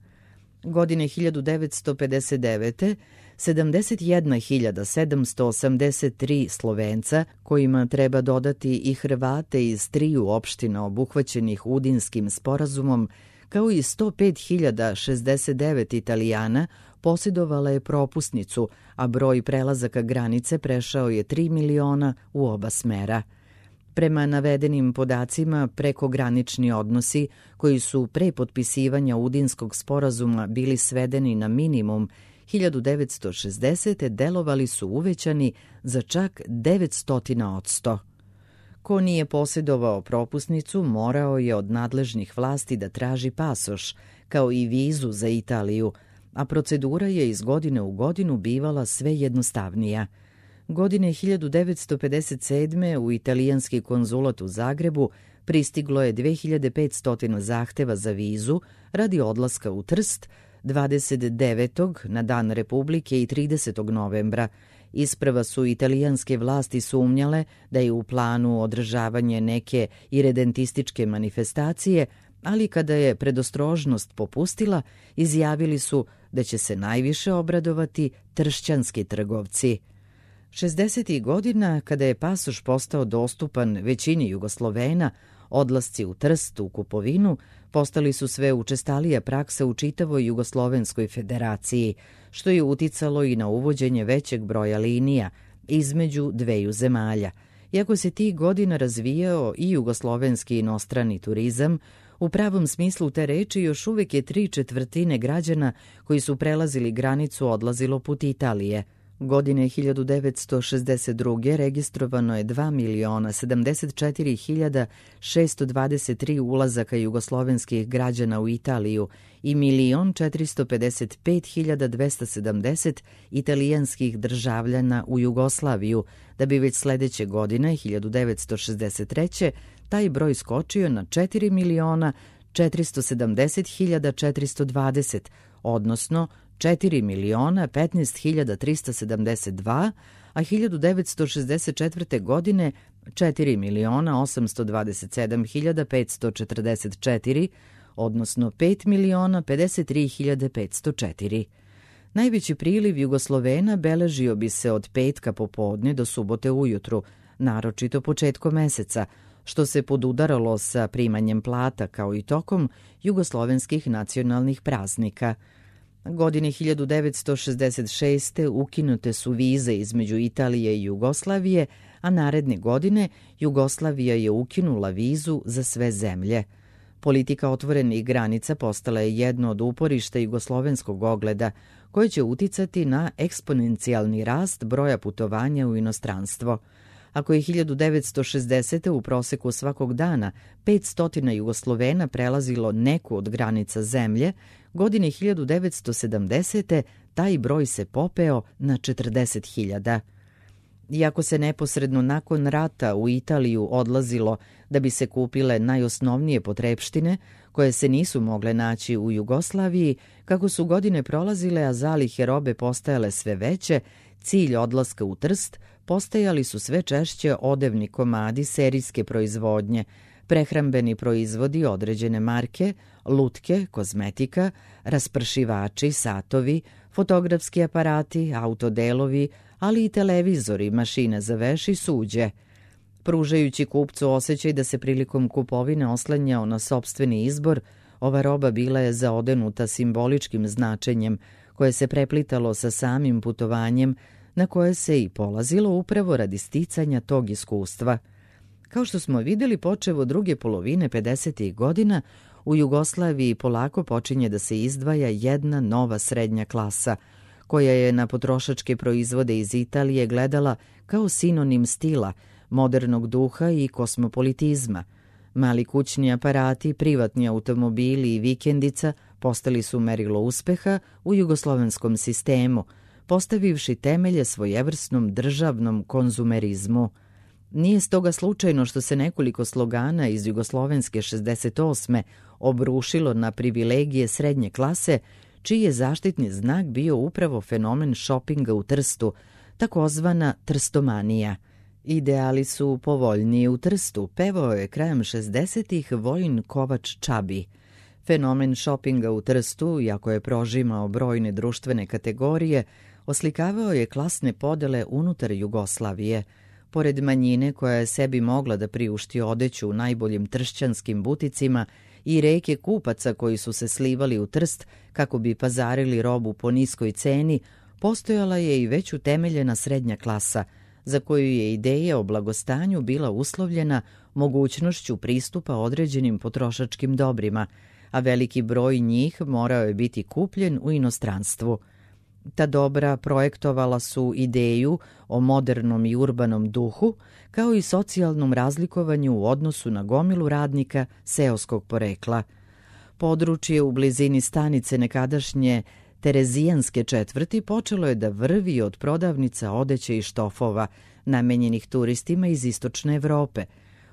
Godine 1959. 71.783 Slovenca, kojima treba dodati i Hrvate iz 3 opština obuhvaćenih Udinskim sporazumom, kao i 105.069 Italijana, posjedovala je propusnicu, a broj prelazaka granice prešao je 3 miliona u oba smera. Prema navedenim podacima, prekogranični odnosi, koji su pre potpisivanja Udinskog sporazuma bili svedeni na minimum, 1960. delovali su uvećani za čak 900%. Ko nije posjedovao propusnicu, morao je od nadležnih vlasti da traži pasoš, kao i vizu za Italiju, a procedura je iz godine u godinu bivala sve jednostavnija. Godine 1957. u italijanski konzulat u Zagrebu pristiglo je 2500 zahteva za vizu radi odlaska u Trst 29. na Dan Republike i 30. novembra. Isprva su italijanske vlasti sumnjale da je u planu održavanje neke iredentističke manifestacije, ali kada je predostrožnost popustila, izjavili su da će se najviše obradovati tršćanski trgovci. 60. godina, kada je pasoš postao dostupan većini Jugoslovena, odlasci u Trst u kupovinu postali su sve učestalija praksa u čitavoj Jugoslovenskoj federaciji, što je uticalo i na uvođenje većeg broja linija između dveju zemalja. Iako se tih godina razvijao i jugoslovenski inostrani turizam, u pravom smislu te reči još uvijek je 3/4 građana koji su prelazili granicu odlazilo put Italije. Godine 1962. registrovano je 2.074.623 ulazaka jugoslovenskih građana u Italiju i 1.455.270 italijanskih državljana u Jugoslaviju, da bi već sledeće godine, 1963. taj broj skočio na 4.470.420, odnosno 4.015.372, a 1964. godine 4.827.544, odnosno 5.053.504. Najveći priliv Jugoslovena beležio bi se od petka popodne do subote ujutru, naročito početkom meseca, što se podudaralo sa primanjem plata kao i tokom jugoslovenskih nacionalnih praznika. Godine 1966. ukinute su vize između Italije i Jugoslavije, a naredne godine Jugoslavija je ukinula vizu za sve zemlje. Politika otvorenih granica postala je jedno od uporišta jugoslovenskog ogleda, koje će uticati na eksponencijalni rast broja putovanja u inostranstvo. Ako je 1960. u proseku svakog dana 500 Jugoslovena prelazilo neku od granica zemlje, godine 1970. taj broj se popeo na 40.000. Iako se neposredno nakon rata u Italiju odlazilo da bi se kupile najosnovnije potrepštine, koje se nisu mogle naći u Jugoslaviji, kako su godine prolazile, a zalihe robe postajale sve veće, cilj odlaska u Trst postajali su sve češće odevni komadi serijske proizvodnje, prehrambeni proizvodi određene marke, lutke, kozmetika, raspršivači, satovi, fotografski aparati, autodelovi, ali i televizori, mašine za veš i suđe. Pružajući kupcu osjećaj da se prilikom kupovine oslanjao na sopstveni izbor, ova roba bila je zaodenuta simboličkim značenjem, koje se preplitalo sa samim putovanjem, na koje se i polazilo upravo radi sticanja tog iskustva. Kao što smo vidjeli, počev od druge polovine 50. godina, u Jugoslaviji polako počinje da se izdvaja jedna nova srednja klasa, koja je na potrošačke proizvode iz Italije gledala kao sinonim stila, modernog duha i kosmopolitizma. Mali kućni aparati, privatni automobili i vikendica postali su merilo uspeha u jugoslovenskom sistemu, postavivši temelje svojevrsnom državnom konzumerizmu. Nije stoga slučajno što se nekoliko slogana iz jugoslovenske 68. obrušilo na privilegije srednje klase, čiji je zaštitni znak bio upravo fenomen šopinga u Trstu, takozvana trstomanija. Ideali su povoljniji u Trstu, pevao je krajem 60-ih Vojin Kovač Čabi. Fenomen šopinga u Trstu, iako je prožimao brojne društvene kategorije, oslikavao je klasne podele unutar Jugoslavije. Pored manjine koja je sebi mogla da priušti odeću u najboljim tršćanskim buticima i reke kupaca koji su se slivali u Trst kako bi pazarili robu po niskoj ceni, postojala je i već utemeljena srednja klasa, za koju je ideja o blagostanju bila uslovljena mogućnošću pristupa određenim potrošačkim dobrima, a veliki broj njih morao je biti kupljen u inostranstvu. Ta dobra projektovala su ideju o modernom i urbanom duhu, kao i socijalnom razlikovanju u odnosu na gomilu radnika seoskog porekla. Područje u blizini stanice nekadašnje Terezijanske četvrti počelo je da vrvi od prodavnica odeće i štofova, namenjenih turistima iz istočne Evrope.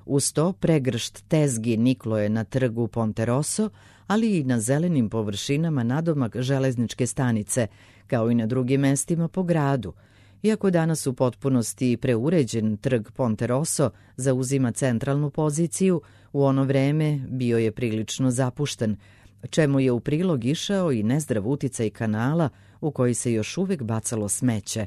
Uz to pregršt tezgi niklo je na trgu Ponte Rosso, ali i na zelenim površinama nadomak železničke stanice, kao i na drugim mestima po gradu. Iako danas u potpunosti preuređen trg Ponte Rosso zauzima centralnu poziciju, u ono vreme bio je prilično zapušten, čemu je u prilog išao i nezdrav uticaj kanala u koji se još uvek bacalo smeće.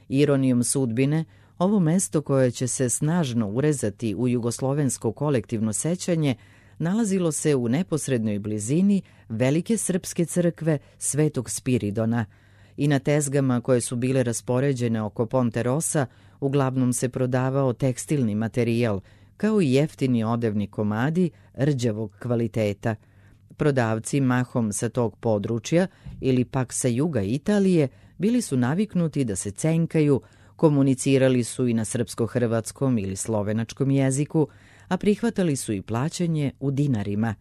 Ironijom sudbine, ovo mesto koje će se snažno urezati u jugoslovensko kolektivno sećanje nalazilo se u neposrednoj blizini velike srpske crkve Svetog Spiridona i na tezgama koje su bile raspoređene oko Ponte Rossa uglavnom se prodavao tekstilni materijal, kao i jeftini odevni komadi rđavog kvaliteta. Prodavci mahom sa tog područja ili pak sa juga Italije bili su naviknuti da se cenkaju, komunicirali su i na srpsko-hrvatskom ili slovenačkom jeziku, a prihvatali su i plaćanje u dinarima.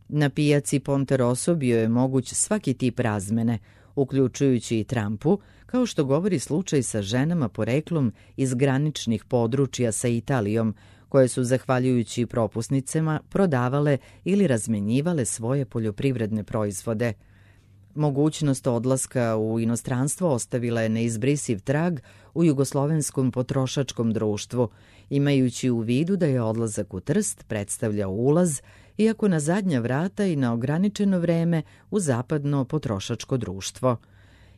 Na pijaci Ponte Rosso bio je moguć svaki tip razmene, uključujući i trampu, kao što govori slučaj sa ženama poreklom iz graničnih područja sa Italijom, koje su, zahvaljujući propusnicama, prodavale ili razmenjivale svoje poljoprivredne proizvode. Mogućnost odlaska u inostranstvo ostavila je neizbrisiv trag u jugoslovenskom potrošačkom društvu, imajući u vidu da je odlazak u Trst predstavljao ulaz, iako na zadnja vrata i na ograničeno vreme, u zapadno potrošačko društvo.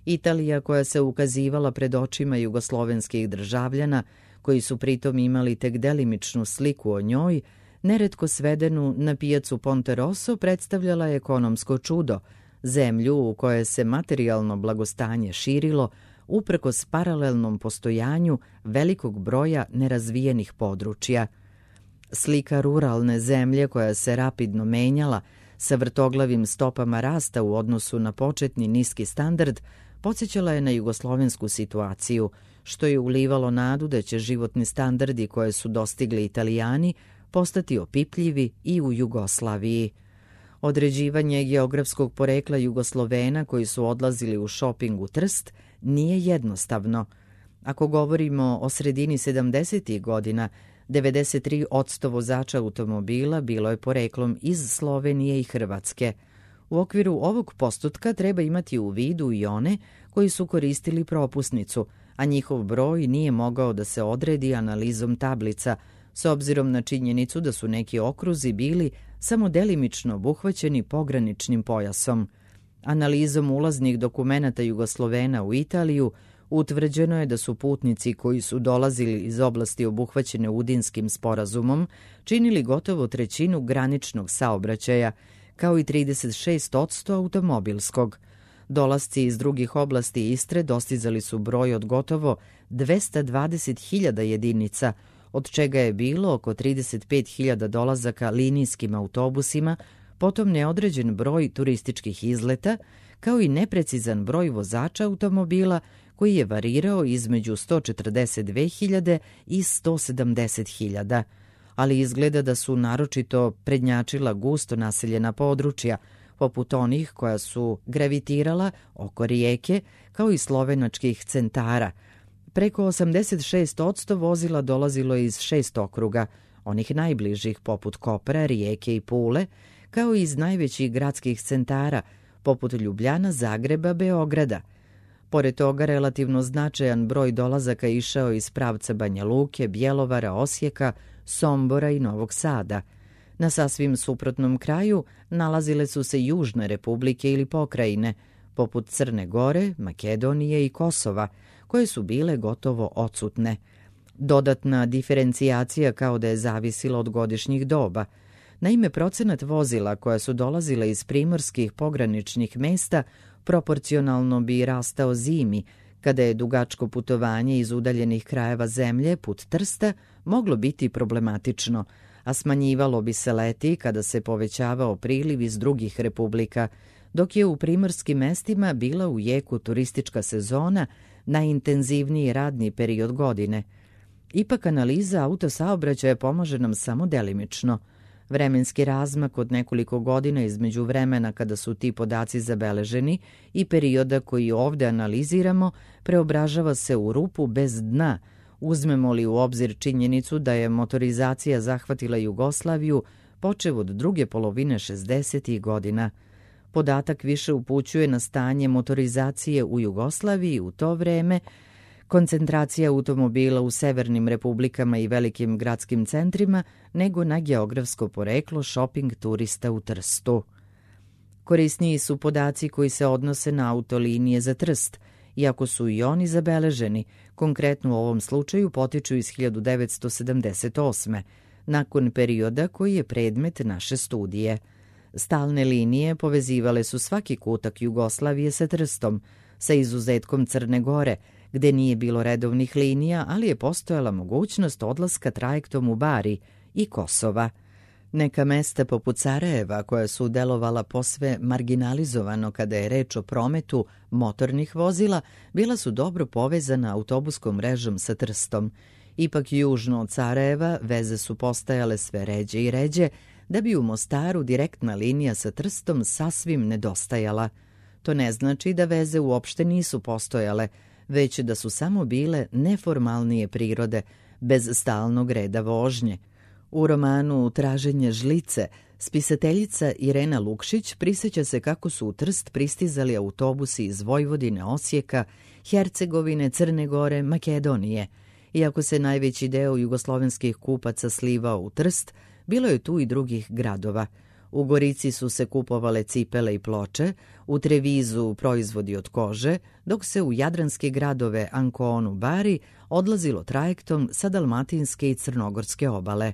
Italija koja se ukazivala pred očima jugoslovenskih državljana, koji su pritom imali tek delimičnu sliku o njoj, neretko svedenu na pijacu Ponte Rosso, predstavljala je ekonomsko čudo, zemlju u kojoj se materijalno blagostanje širilo uprkos paralelnom postojanju velikog broja nerazvijenih područja. Slika ruralne zemlje koja se rapidno menjala sa vrtoglavim stopama rasta u odnosu na početni niski standard podsjećala je na jugoslovensku situaciju, što je ulivalo nadu da će životni standardi koje su dostigli Italijani postati opipljivi i u Jugoslaviji. Određivanje geografskog porekla Jugoslovena koji su odlazili u šoping u Trst nije jednostavno. Ako govorimo o sredini 70. godina, 93% vozača automobila bilo je poreklom iz Slovenije i Hrvatske. U okviru ovog postotka treba imati u vidu i one koji su koristili propusnicu, a njihov broj nije mogao da se odredi analizom tablica, s obzirom na činjenicu da su neki okruzi bili samo delimično obuhvaćeni pograničnim pojasom. Analizom ulaznih dokumenata Jugoslovena u Italiju utvrđeno je da su putnici koji su dolazili iz oblasti obuhvaćene Udinskim sporazumom činili gotovo trećinu graničnog saobraćaja, kao i 36% automobilskog. Dolasci iz drugih oblasti Istre dostizali su broj od gotovo 220.000 jedinica, od čega je bilo oko 35.000 dolazaka linijskim autobusima, potom neodređen broj turističkih izleta, kao i neprecizan broj vozača automobila koji je varirao između 142.000 i 170.000. Ali izgleda da su naročito prednjačila gusto naseljena područja, poput onih koja su gravitirala oko rijeke, kao i slovenačkih centara. Preko 86% vozila dolazilo iz 6 okruga, onih najbližih poput Kopra, Rijeke i Pule, kao i iz najvećih gradskih centara, poput Ljubljana, Zagreba, Beograda. Pored toga, relativno značajan broj dolazaka išao iz pravca Banja Luke, Bjelovara, Osijeka, Sombora i Novog Sada. Na sasvim suprotnom kraju nalazile su se južne republike ili pokrajine, poput Crne Gore, Makedonije i Kosova, koje su bile gotovo odsutne. Dodatna diferencijacija kao da je zavisila od godišnjih doba. Naime, procenat vozila koja su dolazila iz primorskih pograničnih mesta proporcionalno bi rastao zimi, kada je dugačko putovanje iz udaljenih krajeva zemlje put Trsta moglo biti problematično, a smanjivalo bi se leti kada se povećavao priliv iz drugih republika, dok je u primorskim mestima bila u jeku turistička sezona, najintenzivniji radni period godine. Ipak analiza autosaobraćaja pomaže nam samo delimično. Vremenski razmak od nekoliko godina između vremena kada su ti podaci zabeleženi i perioda koji ovde analiziramo preobražava se u rupu bez dna, uzmemo li u obzir činjenicu da je motorizacija zahvatila Jugoslaviju počev od druge polovine 60. godina. Podatak više upućuje na stanje motorizacije u Jugoslaviji u to vreme, koncentracija automobila u severnim republikama i velikim gradskim centrima, nego na geografsko poreklo šoping turista u Trstu. Korisniji su podaci koji se odnose na autolinije za Trst, iako su i oni zabeleženi, konkretno u ovom slučaju potiču iz 1978. nakon perioda koji je predmet naše studije. Stalne linije povezivale su svaki kutak Jugoslavije sa Trstom, sa izuzetkom Crne Gore, gde nije bilo redovnih linija, ali je postojala mogućnost odlaska trajektom u Bari i Kosova. Neka mesta poput Sarajeva, koja su delovala posve marginalizovano kada je reč o prometu motornih vozila, bila su dobro povezana autobuskom mrežom sa Trstom. Ipak južno od Sarajeva veze su postajale sve ređe i ređe, da bi u Mostaru direktna linija sa Trstom sasvim nedostajala. To ne znači da veze uopšte nisu postojale, već da su samo bile neformalnije prirode, bez stalnog reda vožnje. U romanu Traženje žlice spisateljica Irena Lukšić prisjeća se kako su u Trst pristizali autobusi iz Vojvodine, Osijeka, Hercegovine, Crne Gore, Makedonije. Iako se najveći deo jugoslovenskih kupaca slivao u Trst, bilo je tu i drugih gradova. U Gorici su se kupovale cipele i ploče, u Trevizu proizvodi od kože, dok se u jadranske gradove Anconu, Bari odlazilo trajektom sa dalmatinske i crnogorske obale.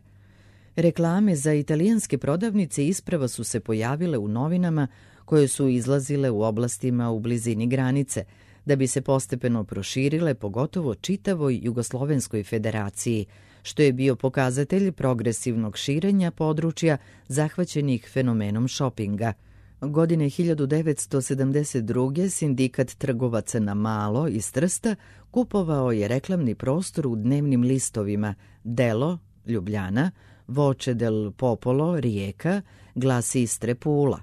Reklame za italijanske prodavnice isprva su se pojavile u novinama koje su izlazile u oblastima u blizini granice, da bi se postepeno proširile pogotovo čitavoj Jugoslovenskoj federaciji, što je bio pokazatelj progresivnog širenja područja zahvaćenih fenomenom šopinga. Godine 1972. Sindikat trgovaca na malo iz Trsta kupovao je reklamni prostor u dnevnim listovima Delo, Ljubljana, Voce del Popolo, Rijeka, Glas Istre, Pula.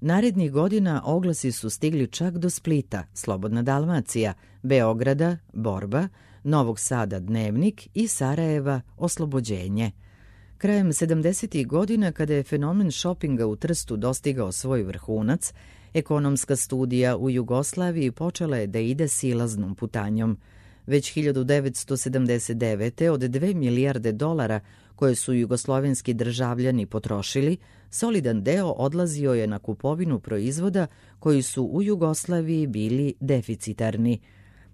Narednih godina oglasi su stigli čak do Splita, Slobodna Dalmacija, Beograda, Borba, Novog Sada, Dnevnik i Sarajeva, Oslobođenje. Krajem 70. godina, kada je fenomen šopinga u Trstu dostigao svoj vrhunac, ekonomska studija u Jugoslaviji počela je da ide silaznom putanjom. Već 1979. od 2 milijarde dolara koje su jugoslovenski državljani potrošili, solidan deo odlazio je na kupovinu proizvoda koji su u Jugoslaviji bili deficitarni.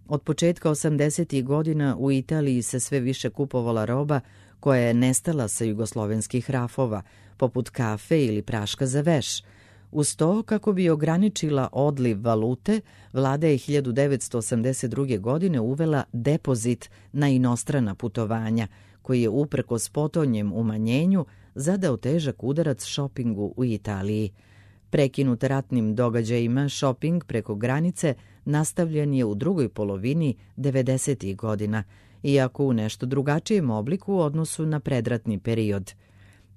Od početka 80. godina u Italiji se sve više kupovala roba koja je nestala sa jugoslovenskih rafova, poput kafe ili praška za veš. Uz to, kako bi ograničila odliv valute, vlada je 1982. godine uvela depozit na inostrana putovanja, koji je uprkos potonjem umanjenju zadao težak udarac šopingu u Italiji. Prekinut ratnim događajima, šoping preko granice nastavljen je u drugoj polovini 90. godina, iako u nešto drugačijem obliku u odnosu na predratni period.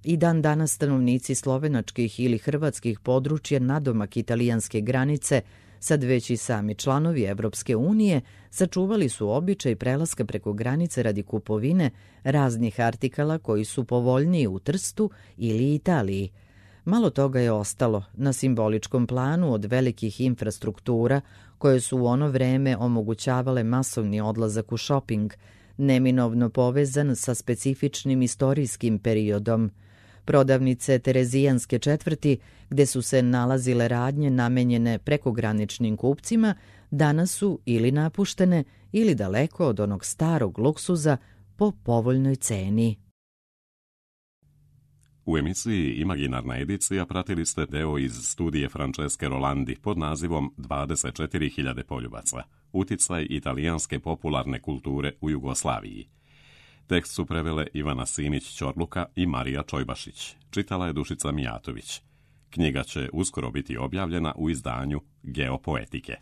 I dan danas stanovnici slovenačkih ili hrvatskih područja nadomak italijanske granice, sad već i sami članovi Evropske unije, sačuvali su običaj prelaska preko granice radi kupovine raznih artikala koji su povoljniji u Trstu ili Italiji. Malo toga je ostalo na simboličkom planu od velikih infrastruktura koje su u ono vreme omogućavale masovni odlazak u šoping, neminovno povezan sa specifičnim istorijskim periodom. Prodavnice Terezijanske četvrti, gde su se nalazile radnje namenjene prekograničnim kupcima, danas su ili napuštene ili daleko od onog starog luksuza po povoljnoj ceni. U emisiji Imaginarna edicija pratili ste deo iz studije Franceske Rolandi pod nazivom 24.000 poljubaca. Uticaj italijanske popularne kulture u Jugoslaviji. Tekst su prevele Ivana Simić-Ćorluka i Marija Čojbašić. Čitala je Dušica Mijatović. Knjiga će uskoro biti objavljena u izdanju Geopoetike.